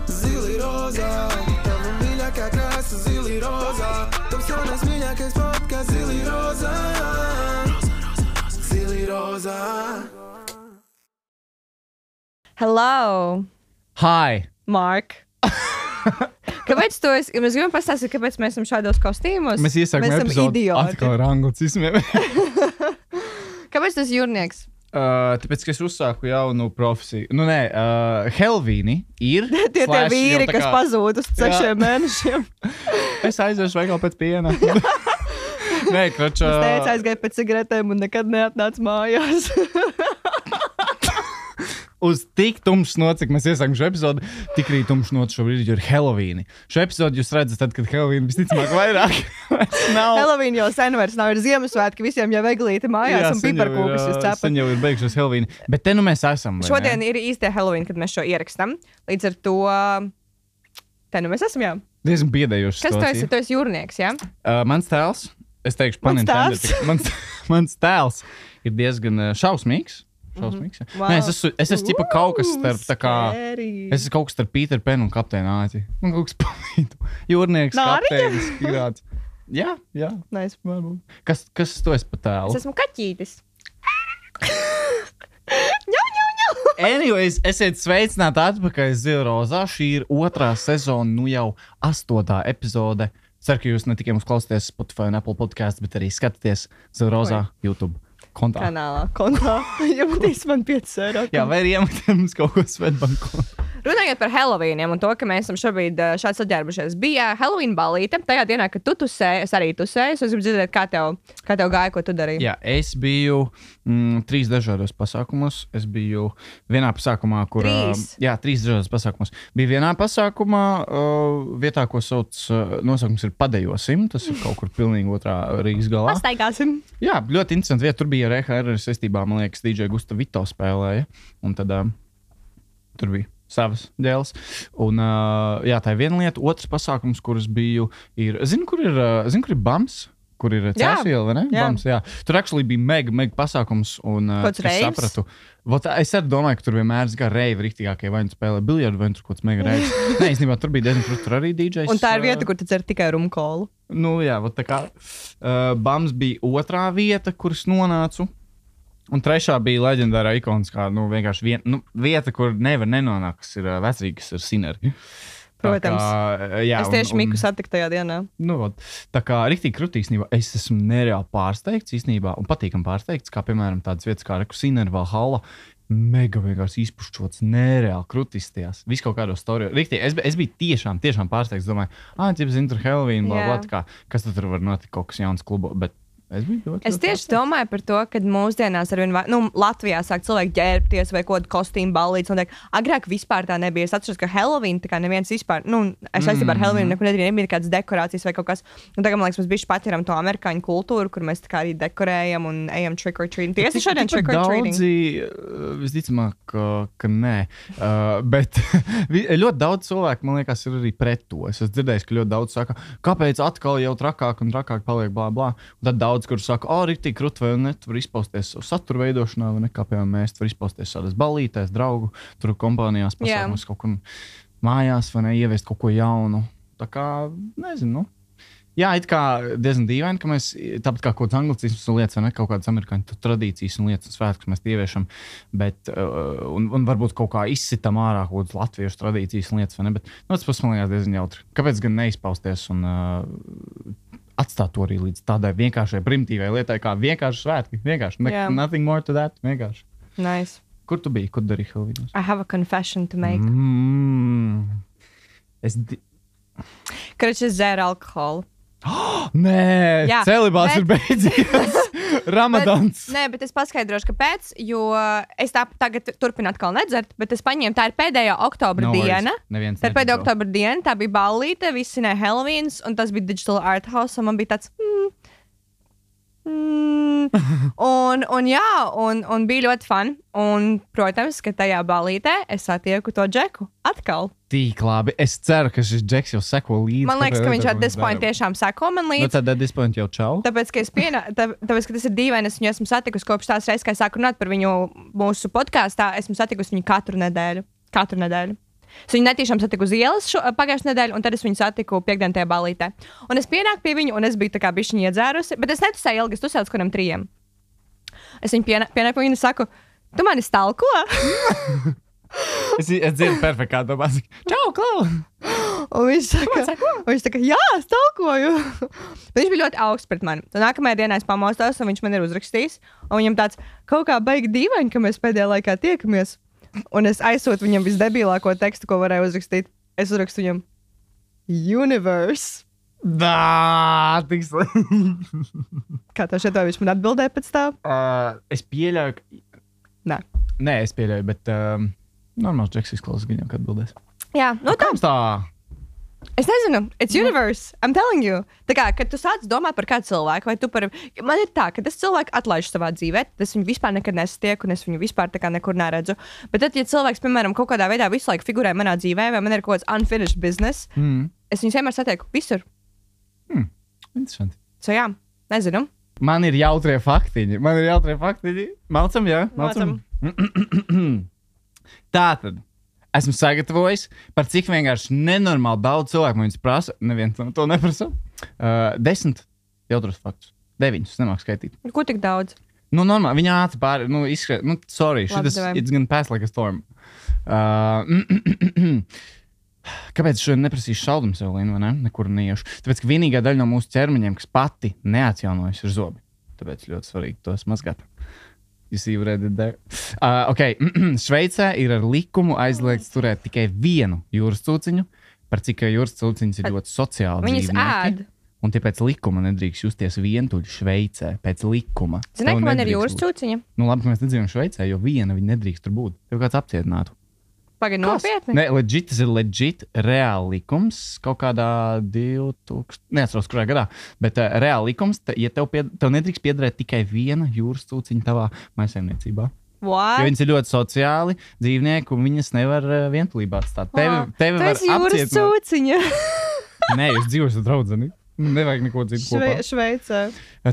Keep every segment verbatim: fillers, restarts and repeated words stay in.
Zili rozā, tava mīļākā krāsa zili rozā. Tavs jaunais mīļākais podcasts zili rozā. Zili rozā. Hello, Hi! Mark. Kāpēc tu esi? Mēs gribam pastāstīt, kāpēc mēs esam šādos kostīmos. Mēs iesākam esam epizodu idioti. atkal ar anglicismiem. Kāpēc tu esi jūrnieks? Uh, tāpēc, ka es uzsāku jaunu profesiju. Nu, nē, uh, Helvīni ir. Tie tie slash vīri, jau tā kas kā- pazūd uz sešiem Jā. mēnešiem. Es aiziešu veikalu pēc piena. Nē, kroč... Es Uh, teicu, aizgāju pēc cigaretēm un nekad neatnācu mājās. uz tik tumšs nots, cik mēs iesākam šo epizodu, tik arī tumšs nots šobrīd ir Helovīni. Šo epizodu jūs redzat tad, kad Helovīni visticamāk vairāk nav. Helovīna jau sen vairs nav, ir Ziemassvētki, visiem jau eglīte mājās un sen jau ir, piparkūkas jūs uh, cepat. Sen jau ir beigušies Helovīni. Bet te nu mēs esam. vai Šodien ne? ir īstie Helovīna, kad mēs šo ierakstām. Līdz ar to, te nu mēs esam, jā. Diezgan biedējoši Kas tu situācija. esi? Tu esi jūrnieks, jā? Uh, mans tēls, es teikšu, Mans panintended, tēls? mans, mans tēls ir diezgan uh, šausmīgs. Šausmīgs. Mm-hmm. Wow. Nē, es esmu, es esmu ķipa kaut kas starp, tā kā, Scary. es esmu kaut kas starp Pīteru Penu un Kapteinu Āķi. Man kaut kas palīdu. Jūrnieks, Nāriņa? kapteinis, pirāts. Jā, jā. Nice. Varbūt. Kas, kas tu esi pa tēlu? Es esmu kaķītis. ņau, ņau, ņau. Anyways, esiet sveicināti atpakaļ Zila Rozā. Šī ir otrā sezona, nu jau astotā epizode. Ceru, ka jūs ne tikai mums klausāties Spotify un Apple podcasts, bet arī skatāties Zila Rozā YouTube kontā. Kanālā, kontā. Jūtīs man piecus eiro. Jā, vai arī iemetēt mums kaut ko Svetbanku. Runājot par Helovīniem un to, ka mēs esam šobrīd ā, šādi saģērbušies. Bija Helovīna balīte. Tajā dienā, kad tu tusēji, es arī tusēju. Es gribu dzirdēt, kā tev, kā tev gāja, ko tu darīji. Jā, es biju mm, trīs dažādos pasākumos. Es biju vienā pasākumā, kur... Trīs? Uh, jā, trīs dažādos pasākumos. Bija vienā pasākumā, uh, vietā, ko sauc, uh, nosaukums ir Padejosim. Tas ir kaut kur pilnīgi otrā Rīgas galā. Pastaigāsim. Jā, ļoti interesanti vieta. Tur bija ar E H R saistībā, man liekas, D J Gusta Vito spēlēja. Un tad uh, tur bija savas dēls. Un uh, jā, tā ir viena lieta. Otrs pasākums, kurus biju, ir... Zinu, kur ir, uh, zinu, kur ir Bams? Kur ir Cēsiela, vai ne? Jā. Bams, jā. Tur actually bija mega, mega pasākums. Un uh, Kāds es reivs? sapratu. Vot, es arī domāju, ka tur vienmēr ir reivi rīktīgākie. Vai nu spēlē biljardu, vai nu tur kaut kāds mega reivs. Nē, īstenībā tur bija diezgan, tur arī D Js. Un tā ir uh, vieta, kur tu dzer tikai rumkolu. Nu, jā, vot tā kā uh, Bams bija otrā vieta, kuras nonācu. Un trešā bija leģendārā ikoniskā, nu, vienkārši vien, nu, vieta, kur nevar nenonākt, kas ir uh, vecrīgi, kas ir Sineri. Tā Protams. Kā, jā, Es tieši un, Miku un, satiku tajā dienā. nu, vot, tā kā riktīgi krūtī īstenībā, es esmu nereāli pārsteigts īstenībā, un patīkam pārsteigts, kā piemēram tādas vietas kā Reku Sineri, Valhalla, mega vienkārši izpušķots, nereāli krūtistījās. Viss kaut kādos storijos. Riktīgi, es, es biju tiešām, tiešām pārsteigts, domāju, ah, ķip, zinu, tur Halloween, bla, Jā. bla, tā kā, kas tur var notikt, kaut kas jauns klubo, bet es biju ļoti, Es ļoti tieši pārsteigts. domāju par to, ka mūsdienās ar vien vairāk, nu, Latvijā sāk cilvēki ģērbties vai kaut kādu kostīmu ballītes. Agrāk vispār tā nebija. Es atceros, ka Halloween tā kā neviens vispār, nu, es saistībā ar Halloween nekur nedarīju, nebija kādas dekorācijas vai kaut kas. Un tagad, man liekas, mēs bišķi patieram to amerikāņu kultūru, kur mēs tā kā arī dekorējam un ejam trick or treating. Tiesa šodien trick or treating. Daudzi, uh, visticamāk, ka, ka nē. Uh, bet vi- ļoti daudz cilvēku, man liekas, ir arī pret to. Es esmu dzirdējis, ka ļoti daudz saka, kāpēc atkal jau trakāk un trakāk paliek blā, blā. Un tad daudz, kur saka, o, rītīgi krut vai ne, tu var izpausties satura veidošanā, vai ne, kā piemēram mēs, tu var izpausties sādās balītēs, draugu, tur kompānijās, pasākumus, kaut kur mājās, vai ne, ieviest kaut ko jaunu. Tā kā, nezinu, nu. Jā, it kā diezgan dīvaini, ka mēs, tāpat kā kaut kāds anglicisms un lietas, vai ne, kaut kādas amerikāņu tradīcijas un lietas un svētkus mēs ieviešam, bet, uh, un, un varbūt kaut kā izsitam ārā kaut kādas latviešu tradīcijas un lietas, vai ne, bet, nu, tas pats man liekas diezgan jautri. Kāpēc gan neizpausties un uh, atstāt to arī līdz tādai vienkāršai primitīvai lietai, kā vienkārši svētki, vienkārši, ne, Jā. nothing more to that, vienkārši. Nice. Kur tu biji, kur darīji Halloweenos? I have a confession to make. Mm. Es di... Kad es dzēru alkoholu. Nē, Jā, celibāts bet- ir beidzies. Ramadans. Bet, nē, bet es paskaidrošu, kāpēc. Jo es tā tagad turpinu atkal nedzert, bet es paņēmu, tā ir pēdējā oktobra No worries. diena. Neviens Tā ir pēdējā neticēja. oktobra diena, tā bija ballīte, visi svinēja Halloweens, un tas bija Digital Art House, un man bija tāds. Mm, mm, un, un jā, un, un bija ļoti fun. Un, protams, ka tajā ballītē es satieku to Džeku atkal. Tik labi. Es ceru, ka šis Džeks jau seko līdzi. Man liekas, ka viņš ar ar this point tiešām seko man Nu, līdzi. tad at this point jau čau. Tāpēc, ka, pienā, tā, tāpēc, ka tas ir dīvaini, es viņu esmu satikusi kopš tās reizes, kad es sāku runāt par viņu mūsu podkāstā. Esmu satikusi viņu katru nedēļu. Katru nedēļu. Es viņu netīšām satiku uz ielas pagājušajā nedēļā, un tad es viņu satiku piekdien tajā balītē. Un es pienāku pie viņa, un es biju tā kā bišķiņi iedzērusi, bet es netusēju ilgi, es tusēju uz kādiem trījiem. Es viņu pienāku pie viņa un saku, tu mani stalko? es, es dzirdu perfekti, kā tu pasaki. Čau, Klau! Un viņš saka, un viņš saka, jā, stalkoju. Viņš bija ļoti augsts pret mani. Un nākamajā dienā es pamostos, un viņš man ir uzrakstījis. Un viņam tāds kaut kā baigi dīvaini, ka mēs pēdējā laikā tiekamies. Un es aizsūtu viņam visdebilāko tekstu, ko varēju uzrakstīt. Es uzrakstu viņam Universe. Dā, tik slikti. Kā tev šeit, vai viņš man atbildēja pēc tā? Uh, es pieļauju, ka... Nē. Nē, es pieļauju, bet um, normāls džeks izklausās viņam, kad atbildēs. Jā, nu tā. Kāds tā? Es nezinu, it's universe, I'm telling you. Tā kā, kad tu sāc domāt par kādu cilvēku, vai tu par... Man ir tā, ka tas cilvēks atlaiž savā dzīvē, tad es viņu vispār nekad nesatieku, un es viņu vispār tā kā nekur neredzu. Bet tad, ja cilvēks, piemēram, kaut kādā veidā visu laiku figurē manā dzīvē, vai man ir kaut kāds unfinished business, mm. es viņus vienmēr satieku visur. Hmm, interesanti. So jā, nezinu. Man ir jautrie faktiņi. Man ir jautrie faktiņi. Malcam, jā? Malcam. Tātad. Esmu sagatavojis, par cik vienkārši nenormāli daudz cilvēku man viņus prasa. Neviens to neprasa. Uh, desmit jautros faktus. Deviņus, nemāk skaitīt. Ko tik daudz? Nu, normāli. Viņa ātri pāri, nu, izskrēt. Nu, sorry, šitas, it's gonna pass like a storm. Uh, Kāpēc es šodien neprasīšu šaldumu sev, Lina, vai ne? Nekur neiešu. Tāpēc, ka vienīgā daļa no mūsu ķermeņiem, kas pati neatjaunojas, ir zobi. Tāpēc ļoti svarīgi tos mazgāt. Jūs jau redzat, there. Uh, ok, Šveicē ir ar likumu aizliegts turēt tikai vienu jūras cūciņu, par cik jūras cūciņas ir ļoti sociāli Viņas dzīvnieki. ēd. Un tie pēc likuma nedrīkst justies vientuļi Šveicē, pēc likuma. Zini, ka man ir nedrīkst jūras būt. cūciņa? Nu labi, ka mēs nedzīvojam Šveicē, jo viena viņa nedrīkst tur būt. Tev kāds apcietinātu. Pagaid, nopietni? Nē, legit, tas ir legit reāli likums kaut kādā divtūkstošajā, neatceros, kurā gadā, bet uh, reāli likums, ta, ja tev, pied, tev nedrīkst piederēt tikai viena jūras cūciņa tavā mājsaimniecībā. What? Jo viņas ir ļoti sociāli dzīvnieki, un viņas nevar uh, vientulībā atstāt. Tevi, tevi Tu var esi jūras apcietināt. cūciņa. Nē, jūs dzīvojat ar draudzeni. Nevajag neko citu Šve, kopā. Šveicē.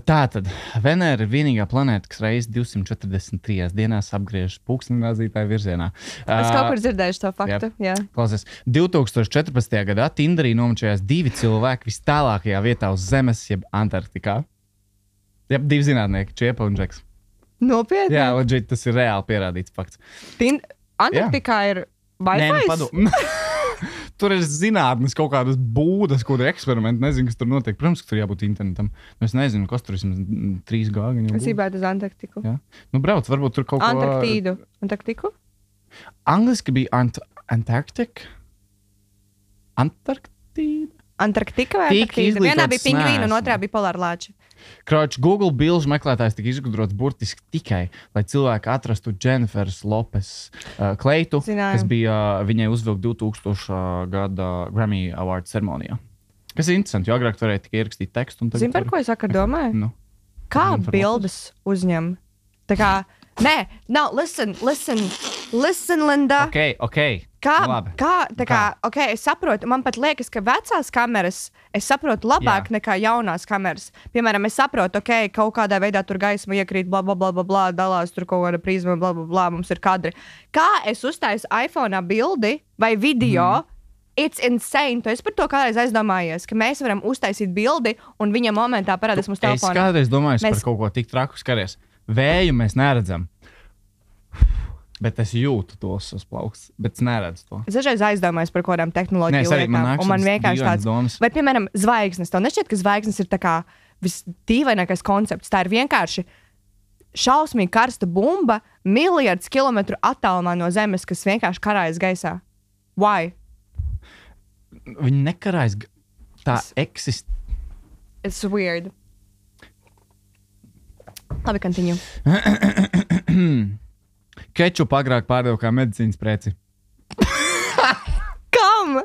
Tātad, Venēra ir vienīgā planēta, kas reizes divsimt četrdesmit trīs dienās apgriež pulksteņrādītāju virzienā. Es kaut kur dzirdēju šo faktu. Jā. Klausies, divtūkstoš četrpadsmitajā gadā Tinderī nomačījās divi cilvēki vis tālākajā vietā uz Zemes, jeb Antarktikā. Jeb divi zinātnieki, Čiepa un Džeks. Nopietni? Jā, legit, tas ir reāli pierādīts fakts. Tin... Antarktikā ir Nē, nu Wi-Fi? padom. Tur ir zinātnes kaut kādas būdas, kur ir eksperimenti. Nezinu, kas tur notiek. Protams, ka tur jābūt internetam. Es nezinu, kas tur vismaz trīs gāgi. Es gribētu uz Antarktiku. Jā. Nu, brauc, varbūt tur kaut ko... Antarktīdu. Antarktiku? Angliski bija ant Antarktika. Antarktīda? Antarktika vai Tik Antarktīda? Vienā izglītots bija pingvīni un neesmu. otrā bija polārlāči. Kroč, Google bilžu meklētājs tika izgudrots burtiski tikai, lai cilvēki atrastu Jennifer's Lopes uh, kleitu, Zināju. kas bija uh, viņai uzvilkt divtūkstošā gada Grammy Award ceremonijā. Kas ir interesanti, jo agrāk varēja tikai ierakstīt tekstu. Zini, par ko es vakar domāju? Nu. Kā Jennifer bildes uzņem? Tā kā, nē, no, listen, listen, listen, Linda. Ok, ok. Kā, Nu, labi. kā, tā kā, ok, es saprotu, man pat liekas, ka vecās kameras, es saprotu labāk Jā. nekā jaunās kameras. Piemēram, es saprotu, ok, kaut kādā veidā tur gaisma iekrīt, bla, bla, bla, bla, bla, dalās tur kaut kāda prizma, bla, bla, bla, mums ir kadri. Kā es uztaisu iPhone'ā bildi vai video, mm. It's insane. Tu esi par to kādreiz aizdomājies, ka mēs varam uztaisīt bildi un viņa momentā parādās mūsu Es telefonā. kādreiz domāju Mēs- mēs... par kaut ko tik traku skaries. Vēju mēs neredzam. Bet es jūtu tos uz plaukstas, bet es neredzu to. Es dažreiz aizdomājos par kaut kādām Nē, tehnoloģiju es arī- man lietām, nāk un man šādas vienkārši dīvainas tāds, domas. vai, piemēram, zvaigznes. Tev nešķiet, ka zvaigznes ir tā kā visdīvainākais koncepts. Tā ir vienkārši šausmīgi karsta bumba miljardus kilometru attālumā no Zemes, kas vienkārši karājas gaisā. Why? Viņi nekarājas. g- Tā Es- eksistē. It's weird. Labi, continue. Kečupu agrāk pārdeva kā medicīnas preci. Kam?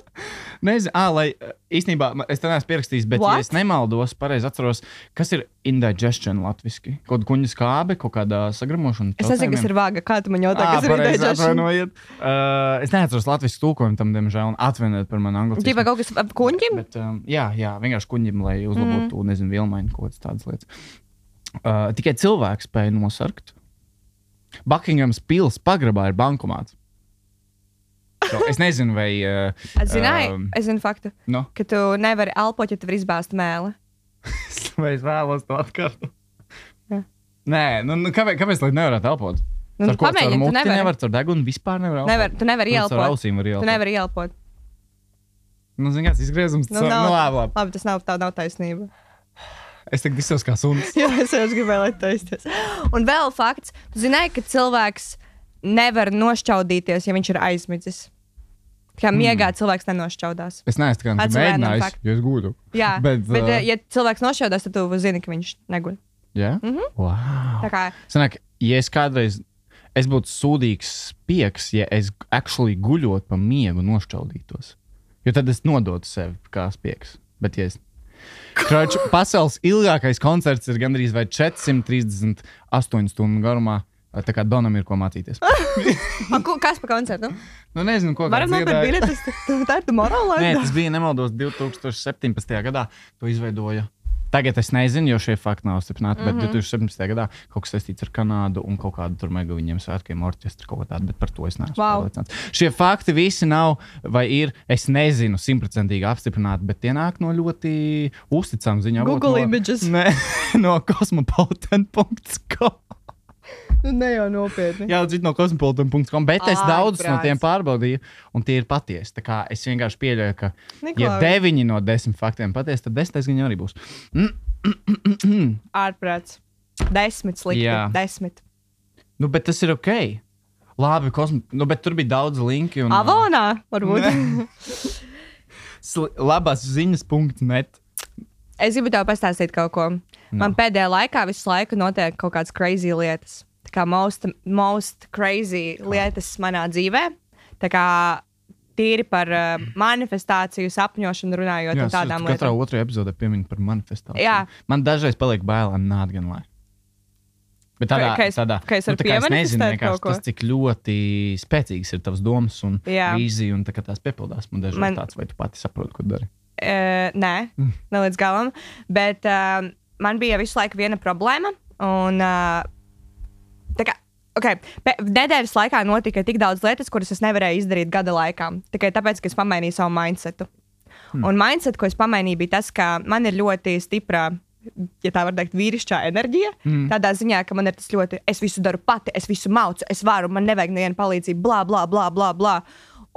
Nezinu, ah, lai eh, īstenībā ma- es te neesmu pierakstījis, bet, What? ja es nemaldos, pareizi atceros, kas ir indigestion latviski. Kaut kuņa skābe, kaut kādā sagramošana. Es nezinu, kas ir vāga. Kā tu man jautā, Ah, kas ir pareizi, ideja? atvainojiet. Uh, es neatceros latviešu tulkojumu tam, diemžēl, un atvainojiet par manu angļu. Ģipa kaut kas ap kuņģim? Bet, um, jā, jā, vienkārši kuņģim, lai uzlabotu, mm. nezinu, vilmaiņu kaut kādas tādas lietas. Uh, tikai cilvēks spēja nosarkt. Buckinghams pils pagrabā ir bankomāts. natural. Es nezinu, vai... Uh, Es zināju, um, es zinu faktu, no? ka tu nevari elpot, ja tev ir izbāzta mēle. Vai es vēlos to atkārtot? Jā. Nē, nu, nu kāpēc, kāpēc lai nevarētu elpot? Nu, Ar ko? pamēģini, Ar tu muti nevari. nevar, ar degunu vispār nevar elpot? Nevar, tu nevari Nu, ielpot. Ar ausīm var Tu ielpot. nevari ielpot. Nu, zini, kāds izgriezums. Nu, Nu, nav, nu, labi, labi. labi, tas nav, tā nav taisnība. Es tagad izsaucu kā suns. Jā, es jau gribēju, lai taisties. Un vēl fakts, tu zināji, ka cilvēks nevar nošķaudīties, ja viņš ir aizmidzis. Kā miegā cilvēks nenošķaudās. Es neesmu tā kā That's a random mēģinājis, fact. jo es gūdu. Jā, bet, Bet, bet uh, uh, ja cilvēks nošķaudās, tad tu zini, ka viņš neguļ. Jā? Mhm. Wow. Tā kā, Sanāk, ja es kādreiz, es būtu sūdīgs spieks, ja es actually guļot pa miegu nošķaudītos. Jo tad es nodotu sevi kā spieks. Bet, ja es... Kroč, pasaules ilgākais koncerts ir gandrīz vai četri simti trīsdesmit astoņu stundu garumā. Tā kā Donam ir ko mācīties. A, ko- kas pa koncertu? Nu, nezinu, ko Varam kāds nopirkt dziedāja. biļetes, tā ir tomorrow. Nē, tas bija nemaldos divi tūkstoši septiņpadsmitajā gadā. To izveidoja. Tagad es nezinu, jo šie fakti nav stiprināti, bet mm -hmm. divi tūkstoši septiņpadsmitajā gadā kaut kas saistīts ar Kanādu un kaut kādu tur mega viņiem svētkiem orķestri kaut ko tādu, bet par to es neesmu Wow. pārliecināts. Šie fakti visi nav vai ir, es nezinu, simtprocentīgi apstiprināti, bet tie nāk no ļoti uzticām ziņām. Google no, images. Ne, no cosmopolitan punkt com. Nu, ne jau nopietni. Jā, dzird no cosmopolitan punkt com, bet es Ai, daudzus no brāc. tiem pārbaudīju, un tie ir patiesi. Tā kā es vienkārši pieļauju, ka, ja Niklaus. deviņi no desmit faktiem patiesi, tad desmitais viņa arī būs. Ārprāts. Desmit slikti. Jā. Desmit. Nu, bet tas ir ok. Labi, kosmo... nu, bet tur bija daudz linki. Un, Avonā, varbūt. Sli- labās ziņas punkts net. Es gribu tev pastāstīt kaut ko. Man pēdējā laikā visu laiku notiek kaut kādas crazy lietas. Tā kā most, most crazy lietas manā dzīvē. Tā kā tīri par uh, manifestāciju, sapņošanu runājot Jā, un tādām katrā lietām. otrajā epizodē piemin par manifestāciju. Jā. Man dažreiz paliek bail, nāc gan lai. Bet tādā, Ka- ka es- tādā, ka es varu tā kā es nezinu, piemanifestēt vienkārši kaut ko? tas, cik ļoti spēcīgas ir tavas domas un Jā. vīzija, un tā kā tās piepildās. Man dažreiz Man- Man... tāds, vai tu pati saproti, ko dari. Uh, nē, Mm. ne līdz galam. Bet uh, man bija visu laiku viena problēma. Un, uh, tā kā, okay, pe- nedēļas laikā notika tik daudz lietas, kuras es nevarēju izdarīt gada laikā. Tikai tāpēc, ka es pamainīju savu mindsetu. Hmm. Un mindset, ko es pamainīju, bija tas, ka man ir ļoti stipra, ja tā var teikt, vīrišķā enerģija. Mm. Tādā ziņā, ka man ir tas ļoti, es visu daru pati, es visu maucu, es varu, man nevajag nevienu palīdzību, blā, blā, blā, blā. blā.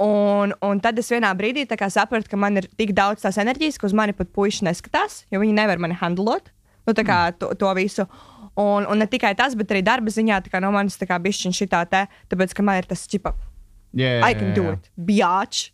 Un, un tad es vienā brīdī tā kā sapratu, ka man ir tik daudz tās enerģijas, ka uz mani pat puiši neskatās, jo viņi nevar mani handlot. Nu, tā kā to, to visu. Un, un ne tikai tas, bet arī darba ziņā tā kā no manis tā kā bišķiņ šitā te, tāpēc, ka man ir tas čipa, Jā, I can do it, bjāč.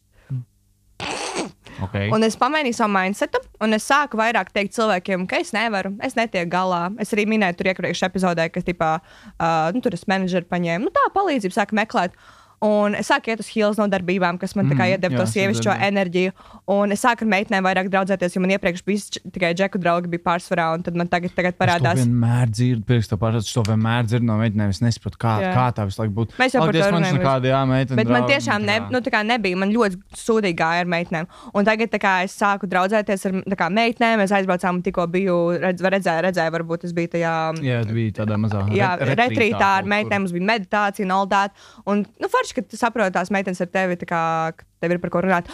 Okay. Un es pamainīju savu mindsetu, un es sāku vairāk teikt cilvēkiem, ka es nevaru, es netieku galā. Es arī minēju tur iepriekšējā epizodē, ka tipā, uh, nu, tur es menedžeri paņēmu, nu tā palīdzību sāku meklēt. Un es sāku iet uz heels no darbībām, kas man tā kā Mm, iedeva jā, to es sievišķo dzirdēju. enerģiju. Un es sāku ar meitenēm vairāk draudzēties, jo man iepriekš bija č- tikai džeku draugi bija pārsvarā, un tad man tagad, tagad Es to parādās. vienmēr dzirdu, pirms to pārādās. Es to vienmēr dzirdu no meitenēm. Es nesaprotu, kā, Jā. kā tā visu laiku būtu. Mēs jau par Paldies, to man runājam nekāda, jā, meitene. Bet man draugi, tiešām ne, jā. nu, tā kā nebija. Man ļoti sūdīgi gāja ar meitenēm. Un tagad tā kā, es sāku draudzēties ar tā kā, meitenēm. Mēs aizbraucām, tikko biju, redz, redzēju, redzēju, varbūt es biju tajā. Jā, tas bija tādā mazā Jā, re- retrītā ar kaut meitenēm mums bija meditācija un all that. Un, nu, forši, ka tu saproti tās meitenes ar tevi, tā kā ka tev ir par ko runāt.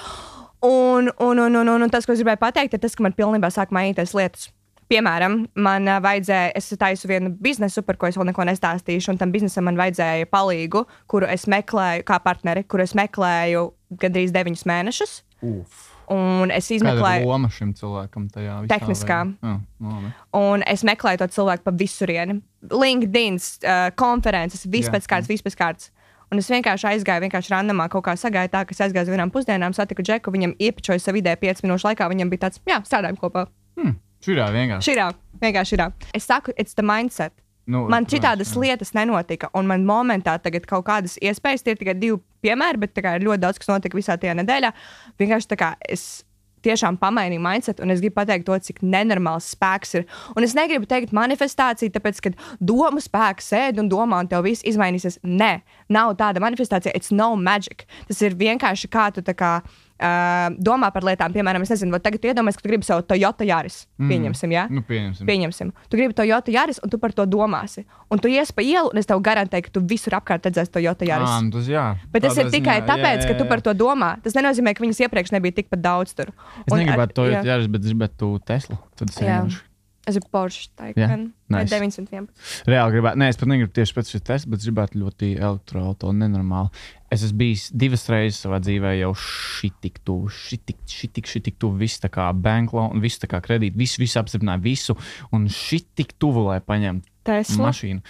Un, un, un, un, un, un tas, ko es gribēju pateikt, ir tas, ka man pilnībā sāk mainīties lietas. Piemēram, man ā, vajadzēja, es taisu vienu biznesu, par ko es vēl neko nestāstīšu, un tam biznesam man vajadzēja palīgu, kuru es meklēju, kā partneri, kuru es meklēju gandrīz deviņus mēnešus. Uf. Un es Kāda ir izmeklēju, loma šim cilvēkam tajā visā? Tehniskā. vai- Jā, labi. un es meklēju to cilvēku pa visurieni. LinkedIn, uh, konferences, viss Jā. pēc kārtas, viss pēc kārtas. Un es vienkārši aizgāju, vienkārši randomā kaut kā sagāju tā, ka es aizgāju uz vienām pusdienām, satiku Džeku, viņam iepičoju savu ideju piecu minūšu laikā, viņam bija tāds, jā, strādājam kopā. Hmm. Šurā vienkārši. Širā, vienkārši širā. Es saku, it's the mindset. Nu, Man protams, šitādas jā. lietas nenotika, un man momentā tagad kaut kādas iespējas, tie ir tikai divi piemēri, bet tā kā ir ļoti daudz, kas notika visā tajā nedēļā. Vienkārši tā kā es tiešām pamainīju mindset, un es gribu pateikt to, cik nenormāls spēks ir. Un es negribu teikt manifestācija, tāpēc, ka domu spēks sēd un domā, un tev viss izmainīsies. Nē, nav tāda manifestācija, it's no magic. Tas ir vienkārši kā tu tā kā uh, domā par lietām. Piemēram, es nezinu, tagad tu iedomājies, ka tu gribi savu Toyota Yaris. Mm. Pieņemsim, jā? Nu, pieņemsim. Pieņemsim. Tu gribi Toyota Yaris, un tu par to domāsi. Un tu ies pa ielu, un es tev garantēju, ka tu visur apkārt redzēsi Toyota Yaris. À, tas, jā. Bet tas ir tikai ziņā, tāpēc, jā, jā, jā. ka tu par to domā. Tas nenozīmē, ka viņas iepriekš nebija tikpat daudz tur. Es Un negribētu ar- Toyota jā. Yaris, bet es gribētu Teslu. Tad es Jā. vienkārši Es ir Porsche Jā, Taycan. Vai nice. deviņsimt vienpadsmit. reāli gribētu. Nē, es pat negribu tieši pēc šī Tesla, bet es gribētu ļoti elektroauto, nenormāli. Es esmu bijis divas reizes savā dzīvē jau šitik tuvu, šitik, šitik, šitik tuvu, viss tā kā bank loan, viss tā kā kredīt, viss, viss apstiprināja visu, un šitik tuvu, lai paņemtu Tesla. mašīnu.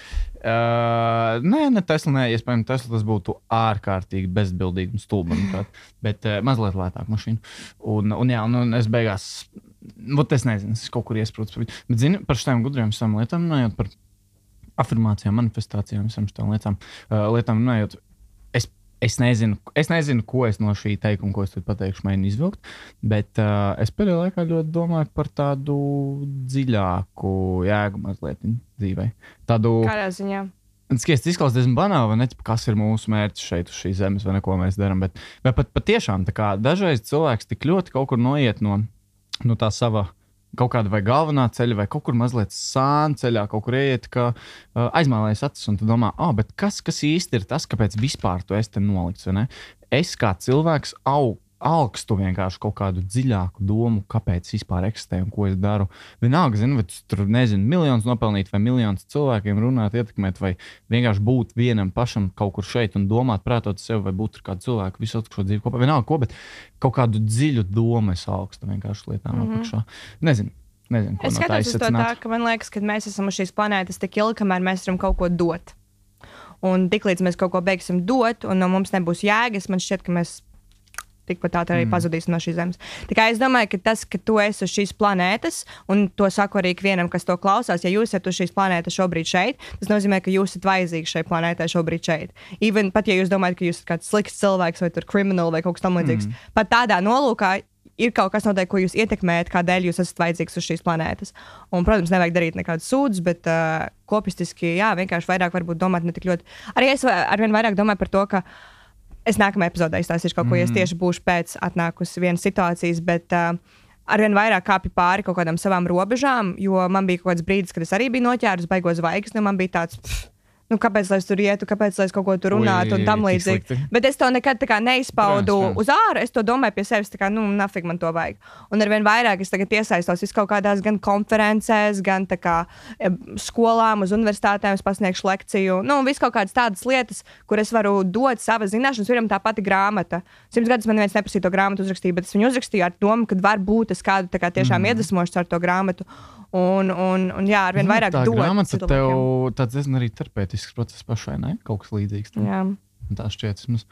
Uh, nē, ne Tesla, nē, iespējams, Tesla tas būtu ārkārtīgi bezbildīgi un stulbi, manuprāt, bet uh, mazliet lētāk mašīnu. Un, un jā, un, un es beigās, vat es nezinu, es kaut kur iesprūdzu par viņu. Bet zini, par šitām gudriem visām lietām runājot, par afirmācijām, manifestācijām, visām šitām lietām, uh, lietām runājot, es, es, nezinu, es nezinu, ko es no šī teikuma, ko es tad pateikšu, mēģinu izvilkt, bet uh, es pēdējā laikā ļoti domāju par tādu dziļāku jēgu mazliet dzīvē. Tādu... Kādā ziņā? Skaisti izklausās diezgan banāli, vai ne? Kas ir mūsu mērķis šeit, uz šīs zemes, vai ne, ko mēs darām. Bet, bet pat patiešām tā kā dažreiz cilvēks tik ļoti kaut kur noiet no, no tā sava kaut kāda vai galvenā ceļa, vai kaut kur mazliet sāna ceļā, kaut kur ieiet, ka uh, aizmālējas acis, un tu domā, ah, bet kas, kas īsti ir tas, kāpēc vispār tu esi te nolikts, vai ne? Es kā cilvēks aug. Augstu vienkārši kaut kādu dziļāku domu, kāpēc vispār eksistē un ko es daru. Vienalga, zinu, vai tu tur nezinu, miljonus nopelnīt, vai miljonus cilvēkiem runāt, ietekmēt, vai vienkārši būt vienam pašam kaut kur šeit un domāt, prātot sev, vai būt ar kādu cilvēku visu atlikušo dzīvi kopā. Vienalga, ko, bet kaut kādu dziļu domu es augstu vienkārši lietām mm -hmm. apakšā. Nezinu. Nezinu, ko Es no tā skatos uz to tā, izsacināt. ka man liekas, ka mēs esam uz šīs planētas tik ilgi, kamēr mēs varam kaut ko dot. Un tiklīdz mēs kaut ko beigsim dot, un no mums nebūs jēgas, man šķiet, ka mēs tikpat tā arī mm. pazudīsim no šīs zemes. Tā kā es domāju, ka tas, ka tu esi uz šīs planētas, un to saku arī ikvienam, kas to klausās, ja jūs esat uz šīs planētas šobrīd šeit, tas nozīmē, ka jūs esat vajadzīgi šai planētai šobrīd šeit. Even pat ja jūs domājat, ka jūs esat kāds slikts cilvēks vai tur krimināls vai kaut kas tamlīdzīgs, mm. pat tādā nolūkā ir kaut kas noteikti, ko jūs ietekmējat, kādēļ jūs esat vajadzīgs uz šīs planētas. Un, protams, nevajag darīt nekādus sūdzes, bet uh, kopistiski, jā, vienkārši vairāk varbūt domāt ne tik ļoti. Arī es arvien vairāk domāju par to, ka es nākamajā epizodē izstāstīšu kaut ko, mm. ja es tieši būšu pēc atnākusi vienas situācijas, bet uh, arvien vairāk kāpju pāri kaut kādām savām robežām, jo man bija kaut kāds brīdis, kad es arī biju noķērus baigo zvaigznes, un man bija tāds, pff, nu, kāpēc lai es tur ietu, kāpēc lai es kaut ko tur runātu un tam līdzīgi. Bet es to nekad tā kā neizpaudu Protams, protams. uz āru, es to domāju pie sevis, tā kā, nu, nafig man to vajag. Un arvien vairāk es tagad iesaistos vis kaut kādās gan konferencēs, gan tā kā e, skolām, uz universitātēm, es pasniegšu lekciju, nu, vis kaut kādas tādas lietas, kur es varu dot savas zināšanas, piemēram, tā pati grāmata. Simts gadus man neviens neprasīja to grāmatu uzrakstīt, bet es viņu uzrakstīju ar domu, ka var būt es kādu tā kā tiešām mm. iedvesmošu ar to grāmatu. Un, un, un jā, arvien vairāk tā dot. grāmata cilvēkiem. tev tāds diezgan arī terapeitisks process pašai, ne? Kaut kas līdzīgs. tam. Jā. Un tā šķiet. Mums...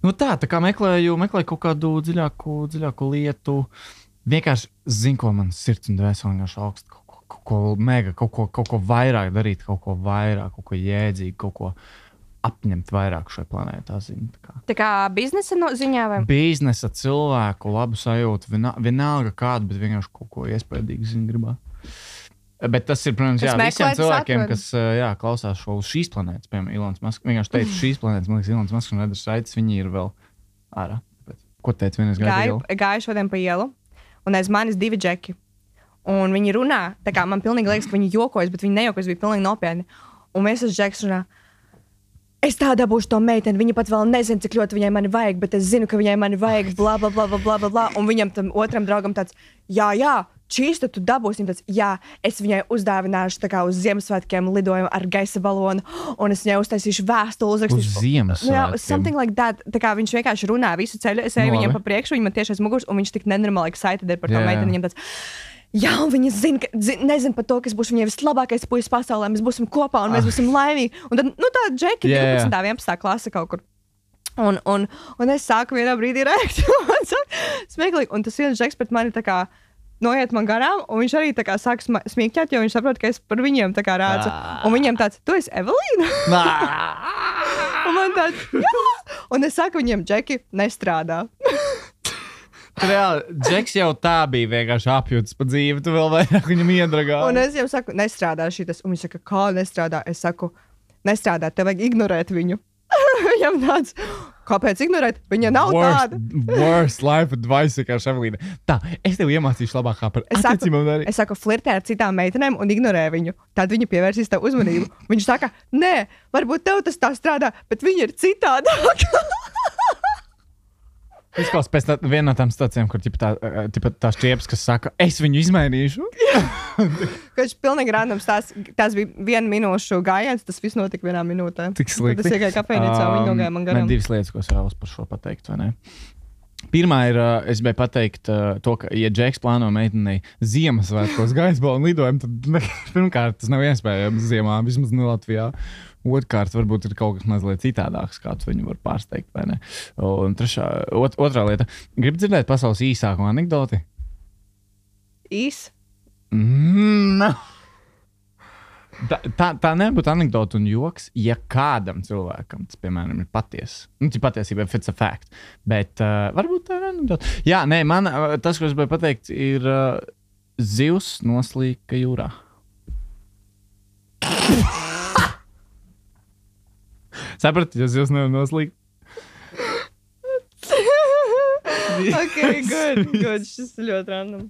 Nu tā, tā kā meklēju, meklēju kaut kādu dziļāku, dziļāku lietu. Vienkārši zinu, ko man sirds un dvēseli vienkārši augstu. Kaut ko, kaut ko mega, kaut ko, kaut ko vairāk darīt, kaut ko vairāk, kaut ko jēdzīgu, kaut ko apņemt vairāk šai planētā. Zinu, tā kā. Tā kā biznesa no ziņā vai? Biznesa, cilvēku, labu sajūtu, vienā- vienalga kādu, bet vienkārši kaut ko iespējīgu zinu gribā. Bet tas ir, protams, jā, Kas visiem meklē, tas cilvēkiem, atrod. kas jā, klausās šo uz šīs planētas, piemēram, Ilons Masks. Vienkārši teica, šīs planētas, man liekas, Ilons Masks un Edgars Raitis, viņi ir vēl ārā. Tāpēc, ko teica vienas Gāju, gāju? gāju šodien pa ielu, un aiz manis divi džeki. Un viņi runā, tā kā man pilnīgi liekas, ka viņi jokojas, bet viņi nejokojas, bija pilnīgi nopietni. Un viens tas džeks runā, es tā dabūšu to meiteni, viņa pat vēl nezina, cik ļoti viņai mani vajag, bet es zinu, ka viņai mani vajag, bla, bla, bla, bla, bla, bla, bla. Un viņam tam otram draugam tāds, jā, jā, čīs, tad tu dabūsi. Viņam tāds, jā, es viņai uzdāvināšu tā kā uz Ziemassvētkiem lidojumu ar gaisa balonu, un es viņai uztaisīšu vēstuli, Uz uzrakstīšu. Ziemassvētkiem. Jā, something like that. Tā kā viņš vienkārši runā visu ceļu, es eju Nu, viņam labi. pa priekšu, viņa man tieši aiz muguras, un viņš tik nenormāli excited ir par to Jā, jā. meiteni. Viņam tāds, jā, un viņa zina, ka, zin, nezina par to, ka es būšu viņai vislabākais puisis pasaulē, mēs būsim kopā un mēs būsim laimīgi. Un tad, nu, tā džeki, Jā, jā. divpadsmitā, vienpadsmitā klase kaut kur. Un, un, un es sāku vienā brīdī rēkt. Man sāk smieklīgi. Un tas viens džeks pret mani tā kā noiet man garām, un viņš arī tā kā sāk sma- smieķēt, jo viņš saprot, ka es par viņiem tā kā rādzu. Un viņiem tāds, tu esi Evelīna? Un man tāds, jā! Un es saku viņiem, džeki, nestrādā. Reāli, Džeks jau tā bija vienkārši apjūts pa dzīvi, tu vēl vairāk viņam iedragā. Un es jau saku, nestrādā šitas. Un viņš saka, kā nestrādā? Es saku, nestrādā, tev vajag ignorēt viņu. Viņam tāds, kāpēc ignorēt? Viņa nav worst, tāda. Worst life advice, kā Ševelīna. Tā, es tev iemācīšu labākā par Es saku, attiecībām arī. es saku, flirtē ar citām meitenēm un ignorē viņu. Tad viņa pievērsīs tev uzmanību. Viņš saka, nē, varbūt tev tas tā strādā, bet viņa ir citādāk. Izklausās pēc tā, viena no tām stācijām, kur tipa tā, tipa tā šķieps, kas saka, es viņu izmainīšu. Viņš pilnīgi randoms, tās, tās bija viena minūšu gājiens, tas viss notika vienā minūtē. Tik slikti. Tad es iegāju kafejnīcā, um, viņi nogāja man garām. Man divas lietas, ko es vēlos par šo pateikt, vai ne? Pirmā ir, es gribēju pateikt to, ka, ja Džeks plāno meitenei Ziemassvētkos gaisbalu lidojumu, tad ne, pirmkārt tas nav iespējams ziemā, vismaz ne Latvijā. Otkārt, varbūt ir kaut kas mazliet citādāks, kāds viņu var pārsteigt, vai ne? Un trešā, ot, otrā lieta. Gribu dzirdēt pasaules īsāko anekdoti? Īs? Mm, no. Tā, tā, tā nebūtu anekdota un joks, ja kādam cilvēkam tas, piemēram, ir patiesa. Nu, tas patiesībā ir it's a fact. Bet uh, varbūt tā ir anekdota. Jā, nē, man uh, tas, ko es gribēju pateikt, ir uh, zivs noslīka jūrā. Saprati, ja zivs nevar noslīkt? Ok, good, good. Šis ir ļoti random.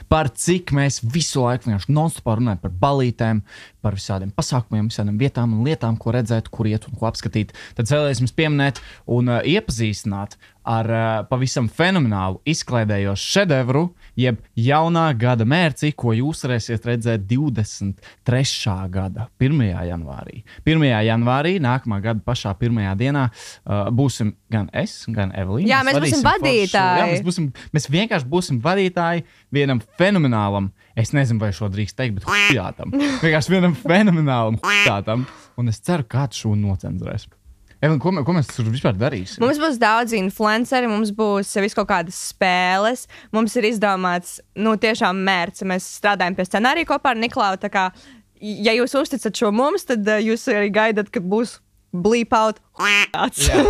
Par cik mēs visu laiku vienkārši non-stopā runājam par balītēm, par visādiem pasākumiem, visādiem vietām un lietām, ko redzēt, kur iet un ko apskatīt. Tad vēlēs jums pieminēt un uh, iepazīstināt ar uh, pavisam fenomenālu izklaidējošu šedevru, jeb jaunā gada mērci, ko jūs varēsiet redzēt divdesmit trešā gada pirmajā janvārī. pirmajā janvārī, nākamā gada pašā pirmajā dienā, uh, būsim gan es, gan Evelīna. Jā, mēs būsim vadītāji. Jā, mēs, būsim, mēs vienkārši būsim vadītāji vienam fenomenālam, es nezinu, vai šo drīkst teikt, bet hujātam. Vienkārši vienam fenomenālam hujātam. Un es ceru, kāds šo nocenzurēs. Evelīna, ko, ko mēs tur vispār darīsim? Mums būs daudz influenceri, mums būs vis kaut kādas spēles, mums ir izdomāts, nu, tiešām mērķis. Mēs strādājam pie scenārija kopā ar Niklausu. Tā kā, ja jūs uzticat šo mums, tad uh, jūs arī gaidat, ka būs bleep out. Jā,